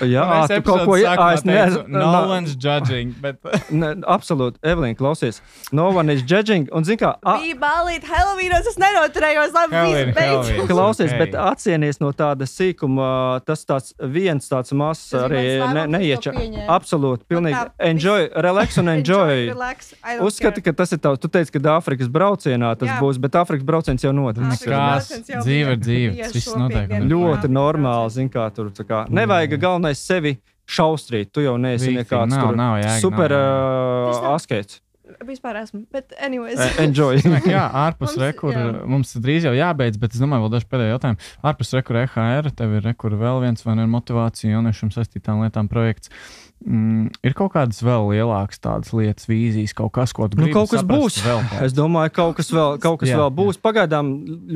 Jā, tu kaut ko jāsaka. Ne, no no one's judging. Bet... ne, absolūti, Evelīna, klausies. No one is judging. Un zin kā... A... Bija balīt Helovīnos, es nenoturējos, labi, viss beidzot. Klausies, okay. Bet atsienies no tāda sīkuma, tas tāds viens tāds mazs arī ne, neieča. Absolūti, pilnīgi. Enjoy, relax un enjoy. relax, Uzskati, ka tas ir tavs. Tu teici, ka Āfrikas braucienā tas Jā. būs, bet Āfrikas brauciens jau notiks. Kās, dzīve ir dzīve. Tas viss notiek. Ļoti normāli, zin kā tur. Kā, nevajag galvenais sevi šaustrīt. Tu jau neesi nekāds nav, tur nav, jēga, super nav, uh, askēts. Vispār esmu, bet anyways. Enjoy. Jā, ārpus rekura. Mums drīz jau jābeidz, bet es domāju, vēl daži pēdējie jautājumi. Ārpus rekura E H R, tev ir rekura vēl viens vai ne motivācija jauniešiem saistītām lietām projekts. Mm, ir kaut kādas vēl lielākas tādas lietas, vīzijas, kaut kas, ko tu gribi nu, kaut kas saprast būs. Vēl es domāju, kaut kas vēl, kaut kas jā, vēl būs. Jā. Pagaidām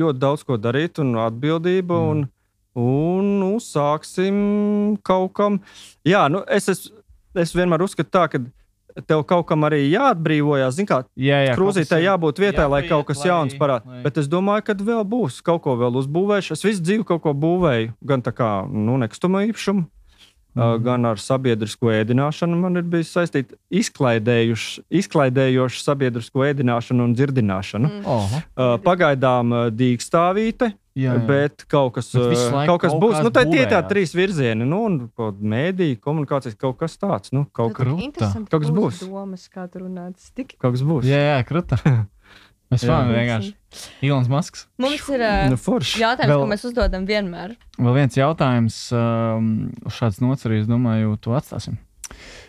ļoti daudz ko darīt un atbildība mm. un Un nu, sāksim kaut kam. Jā, nu, es, es, es vienmēr uzskatu tā, ka tev kaut kam arī jāatbrīvojās. Zin kā, jā, jā, krūzītē jābūt vietai, jā, lai kaut kas lai, jauns parāda. Lai... Bet es domāju, ka vēl būs. Kaut ko vēl uzbūvēšu. Es visu dzīvi kaut ko būvēju. Gan tā kā nu, nekustamo īpašumu, mm. uh, gan ar sabiedrisko ēdināšanu. Man ir bijis saistīta izklaidējoša sabiedrisko ēdināšanu un dzirdināšanu. Mm. Uh, pagaidām uh, dīkstāvīte. Jā, jā. Bet kaut kas, bet kaut kas kaut būs. Nu, tā ir tie tā trīs virzieni. Nu, un mēdī, komunikācijas, kaut kas tāds. Nu, kaut, kaut kas būs. Domas, kā tu runāts. Tik... Kaut kas būs. Jā, jā, kruta. Es fanu vienkārši. Ilons Masks. Mums ir uh, Nu, forši. jautājums, Vēl- ko mēs uzdodam vienmēr. Vēl viens jautājums, um, uz šāds nots arī, es domāju, to atstāsim.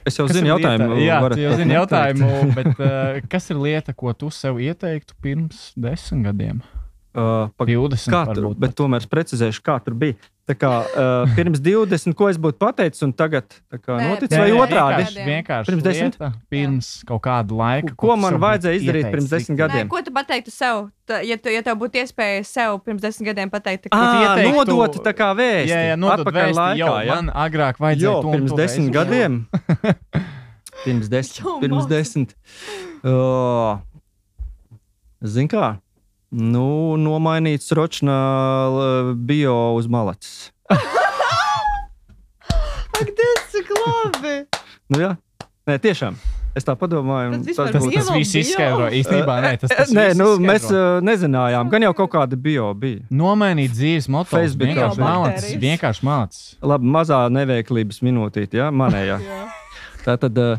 Es jau Kas zinu ir jautājumu. lieta? Jā, varat tu jau pat zini neteikt. jautājumu, bet uh, kas ir lieta, ko tu sev ieteiktu pirms desmit gadiem? Uh, pa, divdesmit kā tur, varbūt bet tomēr es precizēšu, kā tur bija. Tā kā uh, pirms divdesmit, ko es būtu pateicis, un tagad tā kā Nē, noticis, Nē, vai nē, otrādi? vienkārši- Vienkārši Pirms desmit? lieta, pirms kaut kāda laika. Ko tu man sev vajadzēja būtu izdarīt ieteicis pirms desmit likt? gadiem? Nē, ko tu pateiktu sev? Ta, ja, tu, ja tev būtu iespēja sev pirms desmit gadiem pateikt, ka Ā, ieteiktu- nodot tā kā vēsti. Jā, jā, nodot Atpakaļ vēsti, laikā, jo ja? man agrāk vajadzēja Jo, to un pirms to desmit vēsti. gadiem. pirms desmit. Jo, Pirms māc. desmit. Oh. Zini kā? Nu, nomainīts ročnā l- bio uz malacis. Ak, tas cik labi! Nu jā, nē, tiešām. Es tā padomāju. un Tas vispār tas Tas, būtu- tas viss Bio. izskaidro. Īstenībā, nē, tas, tas Nē, viss nu, izskaidro. mēs uh, nezinājām. Gan jau kaut kāda bio bija. Nomainīt dzīves moto. Facebookā Vienkārši bija. malacis. Vienkārši malacis. Labi, mazā neveiklības minūtīte, ja? Manējā. Tā tad uh,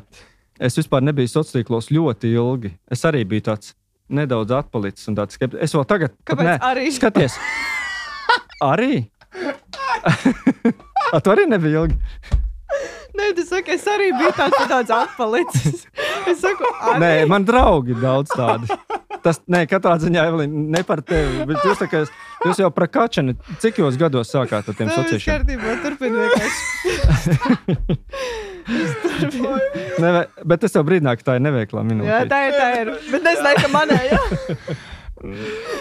es vispār nebiju sociālos tīklos ļoti ilgi. Es arī biju tāds nedaudz atpalicis un tāds skeptisks. Es vēl tagad, pat Kāpēc nē, arī? skaties. Arī? A, tu arī nebija ilgi? Nē, tu saki, es arī biju tāds, tāds atpalicis. Es saku, arī. Nē, man draugi daudz tādi. Tas, nē, katrā ziņā, Evelīna, ne par tevi, bet jūs, tā kā, jūs jau prakačani, cik jūs gados sākāt ar tiem Tā viss sociāliem? kārtībā, turpini vienkārši. Ne, bet es jau brīdināju, ka tā ir neveiklā minūte. Jā, tā ir, tā ir. Bet es nezinu, ka manē, jā.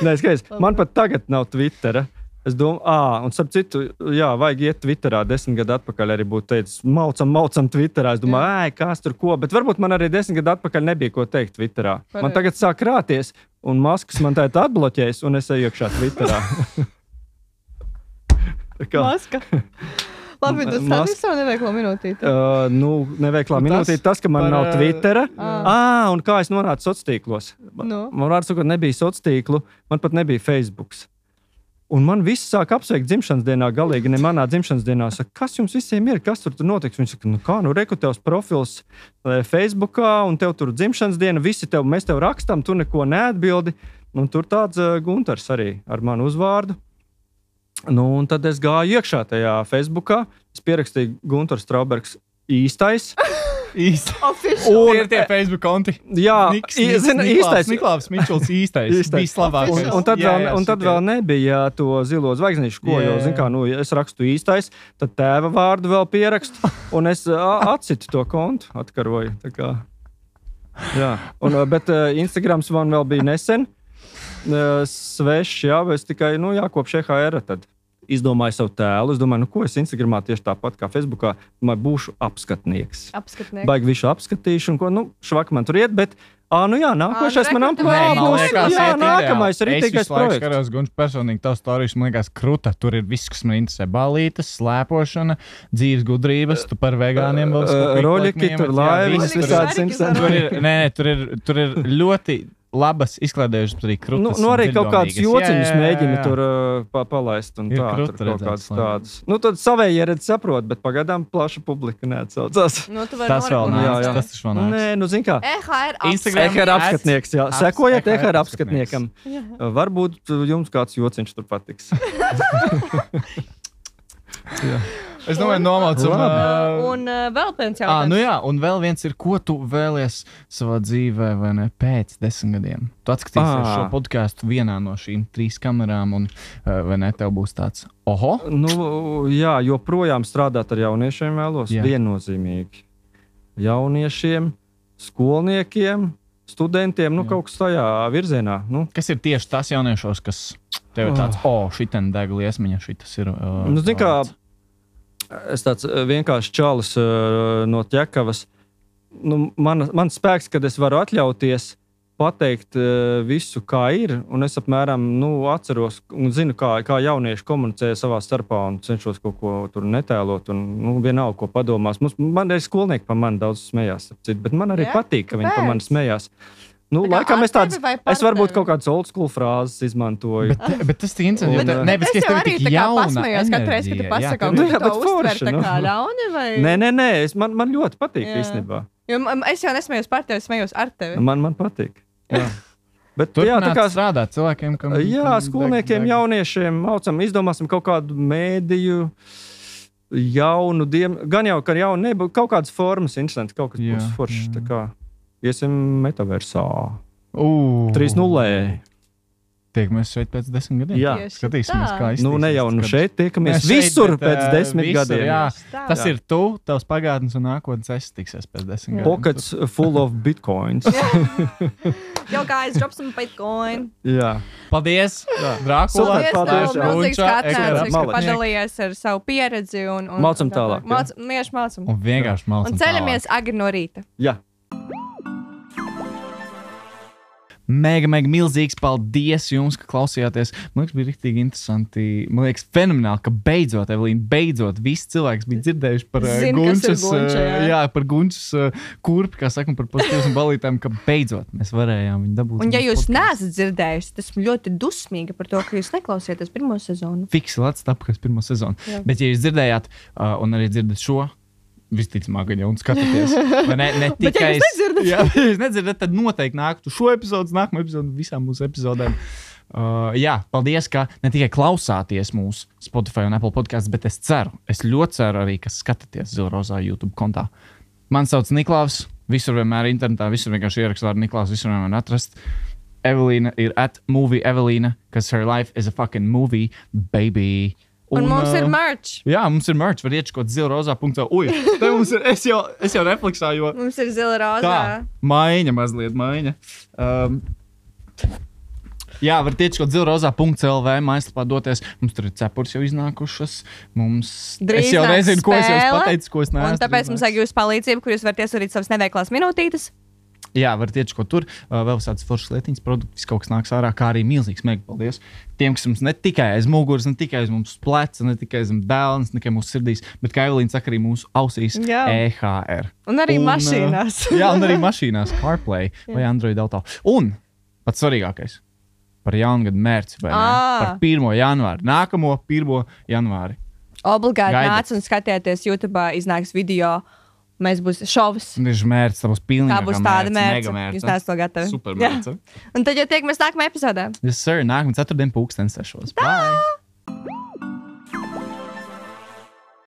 Nē, skaties, man pat tagad nav Twittera. Es domāju, ah, un starp citu, jā, vajag iet Twitterā. Desmit gadu atpakaļ arī būtu teicis, maucam, maucam Twitterā. Es domāju, ej, kas tur ko. Bet varbūt man arī desmit gadu atpakaļ nebija ko teikt Twitterā. Man Pareizi. tagad sāk krāties, un Masks man tā ir atbloķējis, un es eju iekšā Twitterā. Tā kā, Maska. Labi, tas Mas- tas ir savu neveiklo minūtīti. uh, nu, neveiklā Nu, tas minūte ir tas, ka man par, nav Twittera. Ah. Ah, un kā es nonācu sociālos tīklos? Nu. Man vārds sakot, nebija sociālo tīklu, man pat nebija Facebook. Un man viss sāk apsveikt dzimšanas dienā, galīgi ne manā dzimšanas dienā. Saka, kas jums visiem ir, kas tur, tur notiks? Viņš saka, nu kā, nu reku tevs profils eh, Facebookā, un tev tur dzimšanas diena, visi tev, mēs tev rakstam, tu neko neatbildi. Un tur tāds uh, Gunters arī ar manu uzvārdu. Nu, un tad es gāju iekšā tajā Facebookā, es pierakstīju Gunters Straubergs īstais. Īsti. Official. Un ir tie Facebook konti. Jā, Niks, i- Niks, zini, Niklāvs, īstais. Niklāvs Mičels īstais. Īstais. Bija labākais. Un, un tad, Jā, vēl, jā, un tad šitie. vēl nebija to zilo zvaigznīšu, ko Jā, jau, jā, zin kā, jā. nu, es rakstu īstais, tad tēva vārdu vēl pierakstu, un es ā, atsitu to kontu, atkaroju. tā kā. Jā, un, ā, bet ā, Instagrams man vēl bija nesen, ā, svešs, jā, es tikai, nu, jā, kopš E H R tad izdomāju savu tēlu. Es domāju, nu, ko es Instagramā tieši tāpat kā Facebookā, domāju, būšu apskatnieks. Apskatnieks. Baigi visu apskatīšu, un ko, nu, švaki man tur iet, bet, ā, nu jā, nākošais Ā, nu, man re, kur tu amplitūda vari Man būs, liekas, jā, iet nākamais ideāli. rītīgais Es visu laiku projekts. skatos, Gunš, personīgi tavs stāstījums, man liekas, kruta. Tur ir viss, kas man interesē. Balītes, slēpošana, dzīves gudrības, tu par vegāniem vēl Ā, roļiki, tur laivas, visādi tur, simtdesmit. tur ir, nē, nē, tur ir, tur ir ļoti labas izklaidējušas arī krūtis. Nu, nu arī kaut kādus jociņus mēģina tur uh, pa, palaist. Un Ir tā, krūti tur kaut kādas redzēts, labi. tādas. Nu, tad savēji ieredz saprot, bet pagaidām plaša publika neatsaucās. Nu, tu vari Tas vēl noreklamēt. Jā, nāks. jā. Tas taču vēl nāks. Nē, nu, zin kā. E H R Instagram- E H R apskatnieks, jā. Aps- Sekojiet E H R E H R apskatniekam. Jā. Uh, Varbūt uh, jums kāds jociņš tur patiks. Es domāju, nomaucam. Labi. ā, Un uh, vēl viens Ā, jautājums. nu jā, un vēl viens ir, ko tu vēlies savā dzīvē, vai ne, pēc desmit gadiem. Tu atskatīsies Ā. šo podkāstu vienā no šīm trīs kamerām, un ā, vai ne, tev būs tāds, oho, Nu, jā, joprojām strādāt ar jauniešiem vēlos. Jā. Viennozīmīgi. Jauniešiem, skolniekiem, studentiem, nu, Jā. kaut kas tajā virzienā. Nu, kas ir tieši tas jauniešos, kas tev ir tāds, o, oh, šitien deg liesmiņa, šitas ir. Uh, Nu, zini kā, es tāds uh, vienkārši čalis uh, no ķekavas. Nu, man, man spēks, kad es varu atļauties pateikt uh, visu, kā ir. Un es apmēram nu, atceros un zinu, kā, kā jaunieši komunicē savā starpā un cenšos kaut ko tur netēlot. Un, nu, vienalga, ko padomās. Mums, man arī skolnieki par mani daudz smējās, ap citu, bet man arī Jā? patīk, ka viņi par mani Kāpēc? smējās. Nu, Tā kā laikam ar es tādas, tevi vai par es varbūt tevi? kaut kādas old school frāzes izmantoju. Bet, bet tas ir interesanti. jo Un, te- ā, Ne, Bet bet es es jau tev arī tik tā kā jauna pasmējos katru reizi, kad tu enerģija, jā, pasaki, tev un Nu, tu jā, to bet uztver forši, tā nu. kā ļauni, vai? Nē, nē, nē, es, man, man ļoti patīk Jā. īstenībā. Jo man- es jau nesmējos par tevi, es smējos ar tevi. Man, man patīk. Jā. Bet, jā, tā kā strādāt cilvēkiem, kam jā, kam skolniekiem, deg, deg. jauniešiem, mācam, izdomāsim kaut kādu mēdīju, jaunu, diem, gan jau, ka jaunu, ne, kaut kādas formas, interesanti, kaut kas Jā, būs foršs, jā. tā kā iesim metaversā. Uh, trīs nulle. Tiekamies šeit pēc desmit gadiem. Jā. Tieši Skatīsimies, tā. kā iztīsies. Nu, ne jau nu kad- šeit tiekamies Ne, šeit, visur bet, pēc ā, desmit visur, gadiem. Jā, Tā. tas Jā. ir tu, tavs pagātnes un nākotnes es tiksies pēc desmit gadiem. Pockets full of bitcoins. Yo, guys, drop some Bitcoin. Jā. Paldies, Drākula. Super, paldies, jā. Milzīgs Gunča, katrs, Ekera, ka malec. padalījies ar savu pieredzi. Un, un, Mācam un tālāk, jā. Māc, mieši mācam. Un vienkārši malcam Un ceļamies agri no rīta. Jā. Mega, mega milzīgs paldies jums, ka klausījāties. Man liekas, bija rīktīgi interesanti. Man liekas, fenomenāli, ka beidzot, Evelīna, beidzot, visi cilvēki bija dzirdējuši par uh, Zin, kas ir Gunčas, Gunča, uh, jā. jā, par Gunčas uh, kurpi, kā sakam, par pozitīvas un balītēm, ka beidzot mēs varējām viņu dabūt. Un, ja mūsu jūs podkastā. neesat dzirdējuši, tas esmu ļoti dusmīga par to, ka jūs neklausieties pirmo sezonu. Fiksi Latvijas tapkas pirmo sezonu. Jā. Bet, ja jūs dzirdējāt, uh, un arī dzirdat šo, visticamāk, gan jau un skatāties, vai ne, ne Bet, ja tikai jūs nedzirdat? jā, ja jūs nedzirdat, tad noteikti nāktu šo epizodu, nākamo epizodu, visām mūsu epizodēm. Uh, jā, paldies, ka ne tikai klausāties mūsu Spotify un Apple podcasts, bet es ceru, es ļoti ceru arī, ka skatāties Zilrozā YouTube kontā. Man sauc Niklaus, visur vienmēr internetā, visur vienkārši ierakstu vārdu Niklaus, visur vienmēr atrast. Evelīna ir at movie Evelīna, kas her life is a fucking movie, baby. Un, un mums ir uh, merch. Jā, mums ir merch, var iečkot zilrozā punktā. Ui, te mums ir, es jau, es jau refleksā, jo Mums ir zila rozā. tā, maiņa mazliet, maiņa. Um, jā, var iečkot zilrozā punktā L V, mājaslapā doties. Mums tur ir cepurs jau iznākušas. Mums, Drīz es jau nāks nezinu, ko es jums spēle, pateicu, ko es neesmu. Un tāpēc mums vajag jūsu palīdzību, kur jūs varat iesūtīt savas neveiklās minūtītes. Jā, var tieši ko tur. Uh, vēl visādas foršas lietiņas, produktus, kaut kas nāks ārā, kā arī milzīgs mega paldies. Tiem, kas mums ne tikai aiz muguras, ne tikai aiz mums pleca, ne tikai aiz dēlnes, ne tikai mūsu sirdīs, bet kā Evelīna saka, arī mūsu ausīs Jā. E H R. Un arī Un, uh, mašīnās. Jā, un arī mašīnās, CarPlay vai Android Auto. Un pats svarīgākais par jaungadu mērci, vai ne? Ā. Par pirmo janvāri. Nākamo pirmo janvāri. Obligāti Gaidat. nāc un skatieties YouTube, iznāks video. Mēs būs šovs. Tas ir mērķis, tas būs pilnīgi. Tā būs tāda mērķa. Mega Jūs neesat to gatavi. Super Jā. mērķis. Un tad jau tiekamies nākamajā epizodē. Yes, sir. Nākamā ceturtdien pūkstens sešos. Bye!